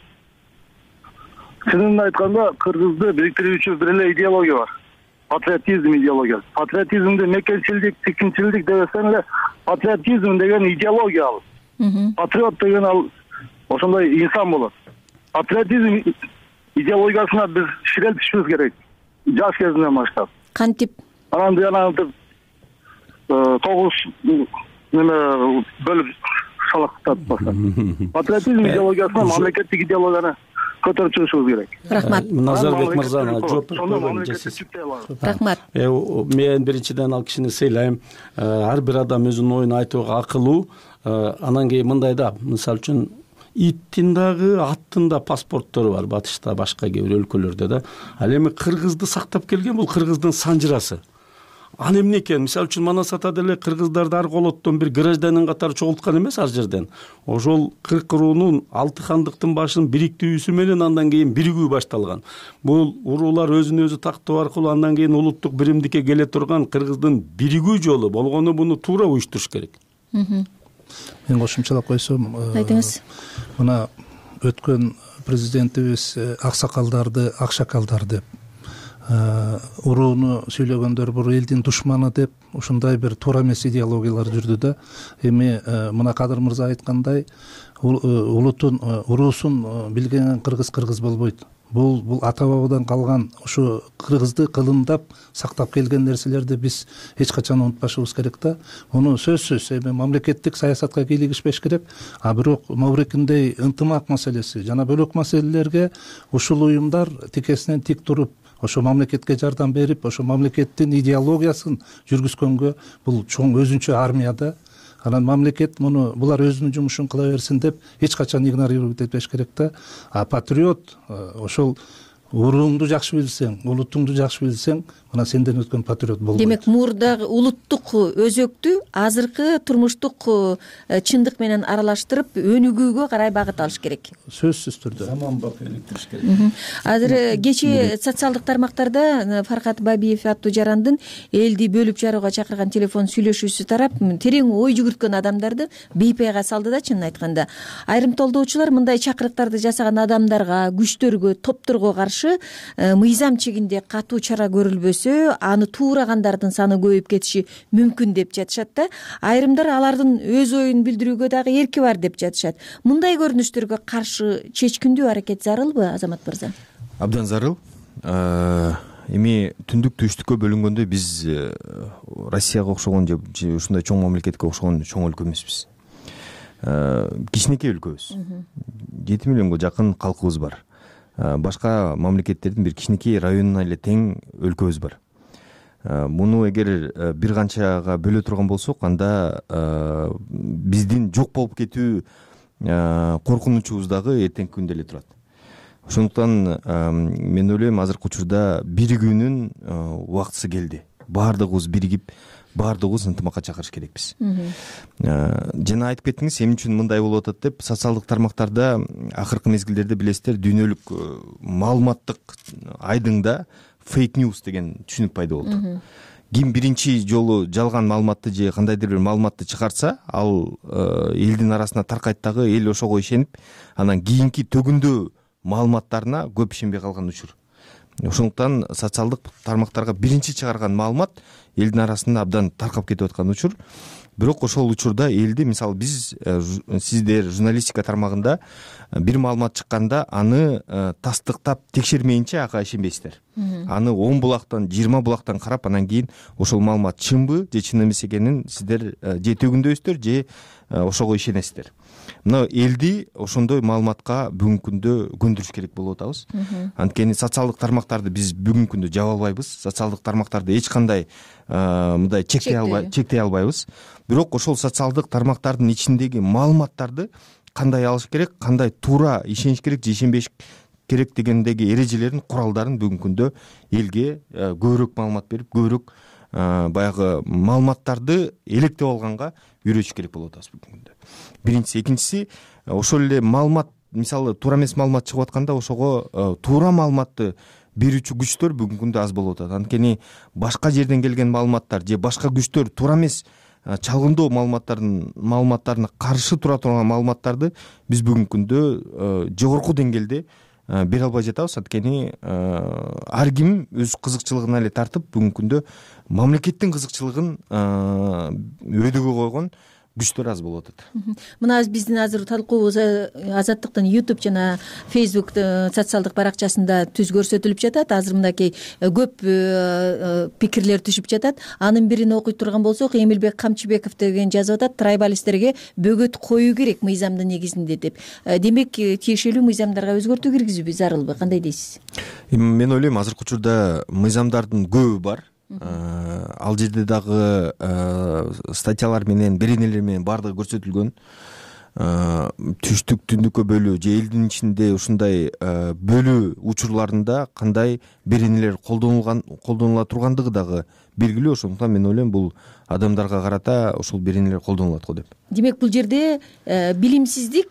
Чынын айтканда, кыргызды бириктирүүчү бир эле идеология бар. Патриотизм идеологиясы. Патриотизмди мекенчилдик, тикинчилдик дебесең эле, патриотизм деген идеология ал. Патриот деген ал ошондой инсан болот. Патриотизм идеологиясына биз ширелтишибиз керек. Жаш кезинен баштап. Кантип? Анан жанагынтип 9 неме бөлүп шалактап баштап. Патриотизм идеологиясына мамлекеттик идеологияны көтөрүп чыгышыбыз керек. Рахмат. Назарбек мырзаны жооп Рахмат. Мен биринчиден ал кишини сыйлайм. Ар бир адам өзүнүн оюн айтууга акылуу. Анан кийин мындай да, мисалы үчүн иттин дагы, аттын да паспорттору бар батышта, башка кээ бир өлкөлөрдө да. Ал эми кыргызды сактап келген бул кыргыздын санжырасы. Ал эмне экен? Мисалы үчүн Манасата деле кыргыздарды ар колоттон бир гражданин катары чогулткан эмес ар жерден. Ошол 40 уруунун 6 хандыктын башынын бириктүүсү менен андан кийин биригүү башталган. Бул уруулар өзүн өзү тактоо аркылуу андан кийин улуттук биримдикке келе турган кыргыздын биригүү жолу болгону буну туура уюштуруш керек. Мен кошумчалап койсом, айтыңыз. Мына өткөн президентибиз аксакалдарды, акшакалдар деп урууну сүйлөгөндөр бул элдин душманы деп ушундай бир туура эмес идеологиялар жүрдү да. Эми мына Кадыр мырза айткандай улутун уруусун билген кыргыз болбойт. Бул ата бабадан калган ушу кыргызды кылымдап сактап келген нерселерди биз эч качан унутпашыбыз керек да. Муну сөзсүз эми мамлекеттик саясатка кийлигишпеш керек. А бирок могурекиндей ынтымак маселеси жана бөлөк маселелерге ушул уюмдар тикесинен тик туруп, ошо мамлекетке жардам берип, ошо мамлекеттин идеологиясын жүргүзгөнгө бул чоң өзүнчө армия да. Анан мамлекет муну булар өзүнүн жумушун кыла берсин деп эч качан игнорировать этпеш керек да. А патриот ошол урууңду жакшы билсең, улутуңду жакшы билсең, мына сенден өткөн патриот болбойт. Демек мурдагы улуттук өзөктү азыркы турмуштук чындык менен аралаштырып өнүгүүгө карай багыт алыш керек. Сөзсүз түрдө. Заманбап өнүктүрүш керек. Азыр кечээ социалдык тармактарда Фаркат Бабиев аттуу жарандын элди бөлүп жарууга чакырган телефон сүйлөшүүсү тарап, терең ой жүгүрткөн адамдарды бейпайга салды да, чынын айтканда. Айрым толдоочулар мындай чакырыктарды жасаган адамдарга, күчтөргө, топторго каршы мыйзам чегинде катуу чара көрүлбөсө, аны туурагандардын саны көбөйүп кетиши мүмкүн деп жатышат да. Айрымдар алардын өз оюн билдирүүгө дагы эрки бар деп жатышат. Мындай көрүнүштөргө каршы чечкиндүү аракет зарылбы, Азамат мырза? Абдан зарыл. Эми түндүк түштүккө бөлүнгөндө биз Россияга окшогон же ушундай чоң мамлекетке окшогон чоң өлкө эмеспиз. Кичинекей өлкөбүз. 7 миллионго жакын калкыбыз бар. Башка мамлекеттердин бир кичинекей районуна эле тең өлкөбүз бар. Муну эгер бир канчага бөлө турган болсок, анда биздин жок болуп кетүү коркунучубуз дагы эртеңки күндө эле турат. Ошондуктан мен ойлойм, азыркы учурда биригүүнүн убактысы келди. Баардыгыбыз биригип, баардыгыбыз ынтымакка чакырыш керекпиз. Жана айтып кеттиңиз, эмне үчүн мындай болуп атат деп. Социалдык тармактарда акыркы мезгилдерде билесиздер, дүйнөлүк маалыматтык айдыңда фейк ньюс деген түшүнүк пайда болду. Ким биринчи жолу жалган маалыматты же кандайдыр бир маалыматты чыгарса, ал элдин арасына таркайт дагы, эл ошого ишенип, анан кийинки төгүндө маалыматтарына көп ишенбей калган учур. Ошондуктан социалдык тармактарга биринчи чыгарган маалымат элдин арасында абдан таркап кетип аткан учур. Бирок ошол учурда элди, мисалы биз, сиздер журналистика тармагында бир маалымат чыкканда аны тастыктап текшермейинче ага ишенбейсиздер. Аны 10 булактан, 20 булактан карап, анан кийин ошол маалымат чынбы же чын эмес экенин сиздер же төгүндөйсүздөр же ошого ишенесиздер. Мына элди ошондой маалыматка бүгүнкү күндө көндүрүш керек болуп атабыз. Анткени социалдык тармактарды биз бүгүнкү күндө жаба албайбыз. Социалдык тармактарды эч кандай мындай чектей албайбыз. Бирок ошол социалдык тармактардын ичиндеги маалыматтарды кандай алыш керек, кандай туура ишениш керек же ишенбеш керек дегендеги эрежелерин, куралдарын бүгүнкү күндө элге көбүрөөк маалымат берип, көбүрөөк баягы маалыматтарды электеп алганга үйрөтүш керек болуп атабыз бүгүнкү күндө. Биринчиси, экинчиси, ошол эле маалымат, мисалы туура эмес маалымат чыгып атканда, ошого туура маалыматты берүүчү күчтөр бүгүнкү күндө аз болуп атат. Анткени башка жерден келген маалыматтар же башка күчтөр туура эмес чалгындоо маалыматтарына каршы тура турган маалыматтарды биз бүгүнкү күндө жогорку деңгээлде бере албай жатабыз. Анткени ар ким өз кызыкчылыгына эле тартып, бүгүнкү күндө мамлекеттин кызыкчылыгын өйдөгө койгон күчтөр аз болуп атат. Мына биздин азыр талкуубуз Азаттыктын YouTube жана Facebook социалдык баракчасында түз көрсөтүлүп жатат. Азыр мындакей көп пикирлер түшүп жатат. Анын бирин окуй турган болсок, Эмилбек Камчыбеков деген жазып атат: трайбалисттерге бөгөт коюу керек мыйзамдын негизинде деп. Демек, тиешелүү мыйзамдарга өзгөртүү киргизүүбү зарылбы? Кандай дейсиз? Мен ойлойм, азыркы учурда мыйзамдардын көбү бар. Ал жерде дагы статьялар менен, беренелер менен баардыгы көрсөтүлгөн. Түштүк, түндүккө бөлүү же элдин ичинде ушундай бөлүү учурларында кандай беренелер колдонула тургандыгы дагы белгилүү. Ошондуктан мен ойлойм, бул адамдарга карата ошол беренелер колдонулат го деп. Демек, бул жерде билимсиздик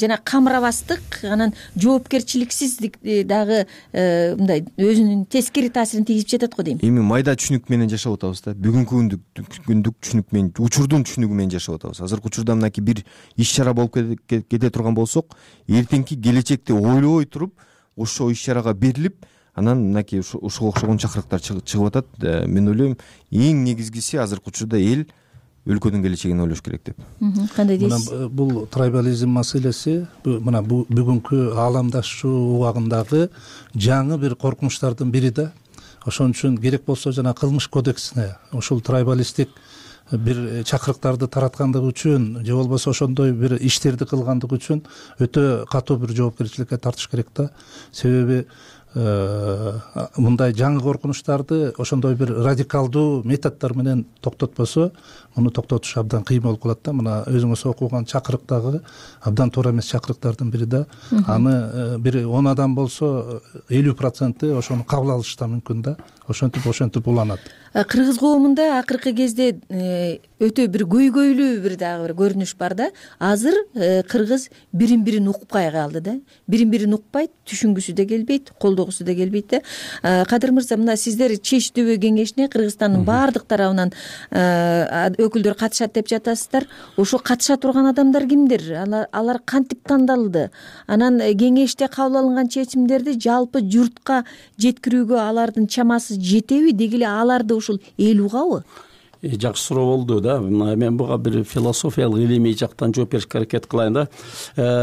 жана камырабастык, анан жоопкерчиликсиздик дагы мындай өзүнүн тескери таасирин тийгизип жатат го дейм. Эми майда түшүнүк менен жашап атабыз да. Бүгүнкү күндүк түшүнүк менен, учурдун түшүнүгү менен жашап атабыз. Азыркы учурда мынакей бир иш-чара болуп кете турган болсок, эртеңки келечекти ойлобой туруп, ошол иш-чарага берилип, анан мынакей ушуга окшогон чакырыктар чыгып атат. Мен ойлойм эң негизгиси азыркы учурда эл өлкөнүн келечегин ойлош керек деп. Кандай дейсиз? Бул трайбализм маселеси мына бүгүнкү ааламдашуу убагындагы жаңы бир коркунучтардын бири да. Ошон үчүн керек болсо жана кылмыш кодексине ушул трайбалисттик бир чакырыктарды тараткандыгы үчүн же болбосо ошондой бир иштерди кылгандыгы үчүн өтө катуу бир жоопкерчиликке тартыш керек да. Себеби мындай жаңы коркунучтарды ошондой бир радикалдуу методдор менен токтотпосо муну токтотуш абдан кыйын болуп калат да. Мына өзүңүз окуган чакырыктагы абдан туура эмес чакырыктардын бири да. Аны бир 10 адам болсо 50% ошону кабыл алышы да мүмкүн да. Ошентип уланат. Кыргыз коомунда акыркы кезде өтө бир көйгөйлүү бир дагы бир көрүнүш бар да. Азыр кыргыз бирин бирин укпай калды да. Бирин бирин укпайт, түшүнгүсү да келбейт, колдогусу да келбейт да. Кадыр мырза, мына сиздер ЧЕЧ ТБ кеңешине Кыргызстандын баардык тарабынан өкүлдөр катышат деп жатасыздар. Ошо катыша турган адамдар кимдер? Алар кантип тандалды? Анан кеңеште кабыл алынган чечимдерди жалпы журтка жеткирүүгө алардын чамасы жетеби? Деги эле аларды ушул эл угабы? Жакшы суроо болду да. Мен буга бир философиялык илимий жактан жооп беришке аракет кылайын да.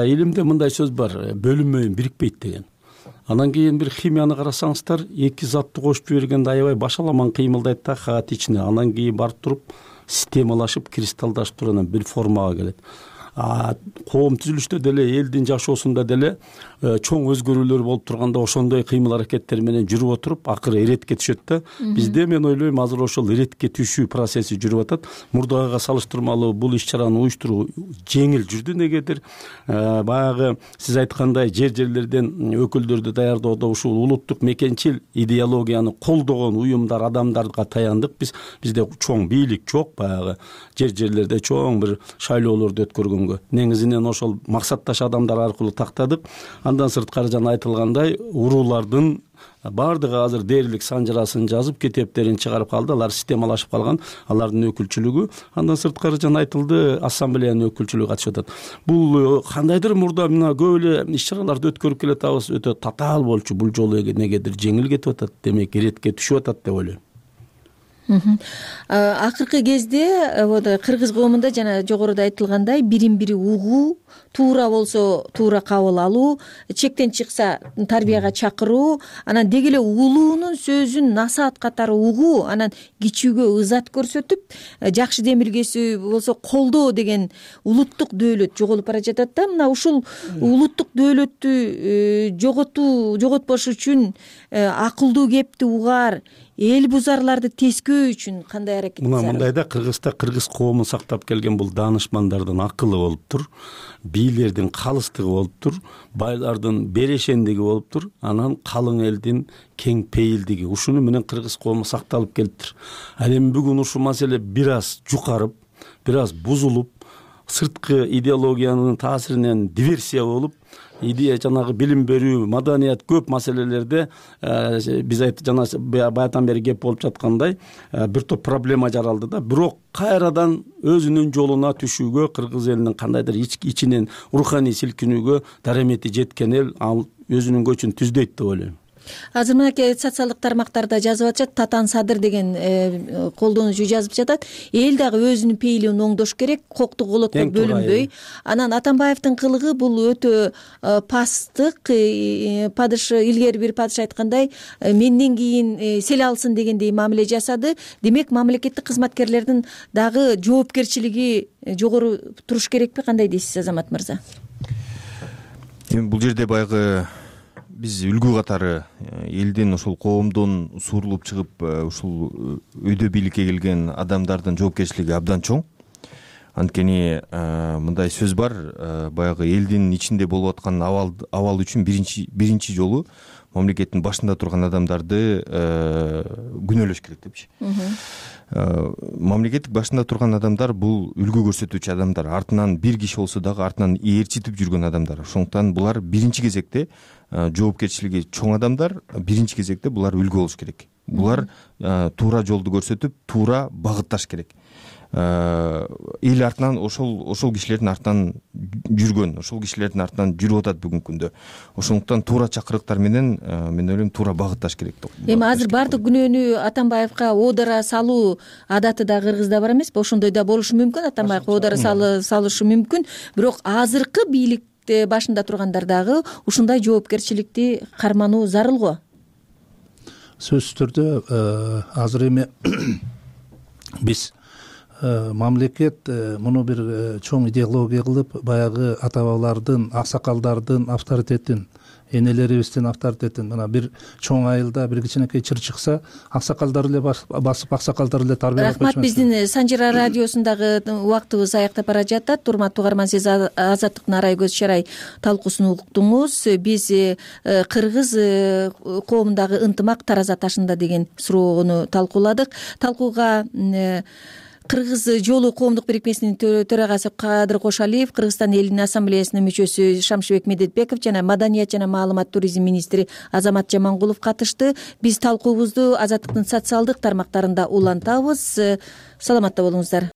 Илимде мындай сөз бар: бөлүнмөйүн бирикпейт деген. Анан кийин бир химияны карасаңыздар, эки затты кошуп жибергенде аябай башаламан кыймылдайт да хаотичный. Анан кийин барып туруп системалашып, кристалдашып туруп анан бир формага келет. Коом түзүлүштө деле, элдин жашоосунда деле чоң өзгөрүүлөр болуп турганда ошондой кыймыл аракеттер менен жүрүп отуруп акыры эретке түшөт да. Бизде мен ойлойм азыр ошол эретке түшүү процесси жүрүп атат. Мурдагыга салыштырмалуу бул иш-чараны уюштуруу жеңил жүрдү. Негедир баягы сиз айткандай жерлерден өкүлдөрдү даярдоодо ушул улуттук мекенчил идеологияны колдогон уюмдар, адамдарга таяндык. Бизде чоң бийлик жок, баягы жерлерде чоң бир шайлоолорду өткөргөнгө. Негизинен ошол максатташ адамдар аркылуу тактадык. Андан сырткары жана айтылгандай уруулардын баардыгы азыр дээрлик санжырасын жазып, китептерин чыгарып калды. Алар системалашып калган, алардын өкүлчүлүгү. Андан сырткары жана айтылды, ассамблеянын өкүлчүлүгү катышып атат. Бул кандайдыр мурда мына көп эле иш-чараларды өткөрүп келатабыз, өтө татаал болчу. Бул жолу негедир жеңил кетип атат, демек эретке түшүп атат деп ойлойм. Акыркы кезде кыргыз коомунда жана жогоруда айтылгандай бирин бири угуу, туура болсо туура кабыл алуу, чектен чыкса тарбияга чакыруу, анан деги эле улуунун сөзүн насаат катары угуу, анан кичүүгө ызат көрсөтүп, жакшы демилгеси болсо колдоо деген улуттук дөөлөт жоголуп бара жатат да. Мына ушул улуттук дөөлөттү жоготпош үчүн акылдуу кепти угар, эл бузарларды тескөө үчүн кандай аракет? Мындайда Кыргызда кыргыз коомун сактап келген бул даанышмандардын акылы болуптур, бийлердин калыстыгы болуптур, байлардын берешендиги болуптур, анан калың элдин кең пейилдиги. Ушуну менен кыргыз коому сакталып келиптир. Ал эми бүгүн ушул маселе бир аз жукарып, бир аз бузулуп, сырткы идеологиянын таасиринен диверсия болуп, идея жанагы билим берүү, маданият көп маселелерде биз жана баятан бери кеп болуп жаткандай бир топ проблема жаралды да. Бирок кайрадан өзүнүн жолуна түшүүгө, кыргыз элинин кандайдыр ичинен руханий силкинүүгө даремети жеткен эл ал өзүнүн көчүн түздөйт деп ойлойм. Азыр мынакей социалдык тармактарда жазып атышат, Татан Садыр деген колдонуучу жазып жатат. Эл дагы өзүнүн пейилин оңдош керек, коктук олотко бөлүнбөй. Анан Атамбаевдин кылыгы бул өтө пасттык. Илгери бир падыш айткандай, менден кийин сел алсын дегендей мамиле жасады. Демек, мамлекеттик кызматкерлердин дагы жоопкерчилиги жогору туруш керекпи? Кандай дейсиз, Азамат мырза? Эми бул жерде баягы биз үлгү катары элдин ошол коомдон суурулуп чыгып ушул өйдө бийликке келген адамдардын жоопкерчилиги абдан чоң. Анткени мындай сөз бар, баягы элдин ичинде болуп аткан абал үчүн биринчи жолу мамлекеттин башында турган адамдарды күнөөлөш керек депчи. Мамлекеттик башында турган адамдар бул үлгү көрсөтүүчү адамдар, артынан бир киши болсо дагы артынан ээрчитип жүргөн адамдар. Ошондуктан булар биринчи кезекте жоопкерчилиги чоң адамдар, биринчи кезекте булар үлгү болуш керек. Булар туура жолду көрсөтүп, туура багытташ керек. эл артынан ошол кишилердин артынан жүргөн, ошол кишилердин артынан жүрүп атат бүгүнкү күндө. Ошондуктан туура чакырыктар менен мен ойлойм туура багытташ керек. Эми азыр баардык күнөөнү Атамбаевка оодара салуу адаты да Кыргызда бар эмеспи? Ошондой да болушу мүмкүн, Атамбаевка оодара салышы мүмкүн. Бирок азыркы бийликте башында тургандар дагы ушундай жоопкерчиликти кармануу зарыл го. Сөзсүз түрдө азыр эми биз мамлекет муну бир чоң идеология кылып, баягы ата бабалардын, аксакалдардын авторитетин, энелерибиздин авторитетин мына бир чоң айылда бир кичинекей чыр чыкса, аксакалдар эле басып, аксакалдар эле тарбиялап койчу. Рахмат, биздин Санжира радиосундагы убактыбыз аягдап бара жатат. Урматтуу угарман, сиз Азаттыктын арай көз чарай талкуусун уктуңуз. Биз кыргыз коомундагы ынтымак тараза ташында деген суроону талкууладык. Талкууга Кыргыз жолу коомдук бирикмесинин төрагасы Кадыр Кошалиев, Кыргызстан элинин ассамблеясынын мүчөсү Шамшыбек Медетбеков жана Маданият жана маалымат туризм министри Азамат Жамангулов катышты. Биз талкуубузду Азаттыктын социалдык тармактарында улантабыз. Саламатта болуңуздар.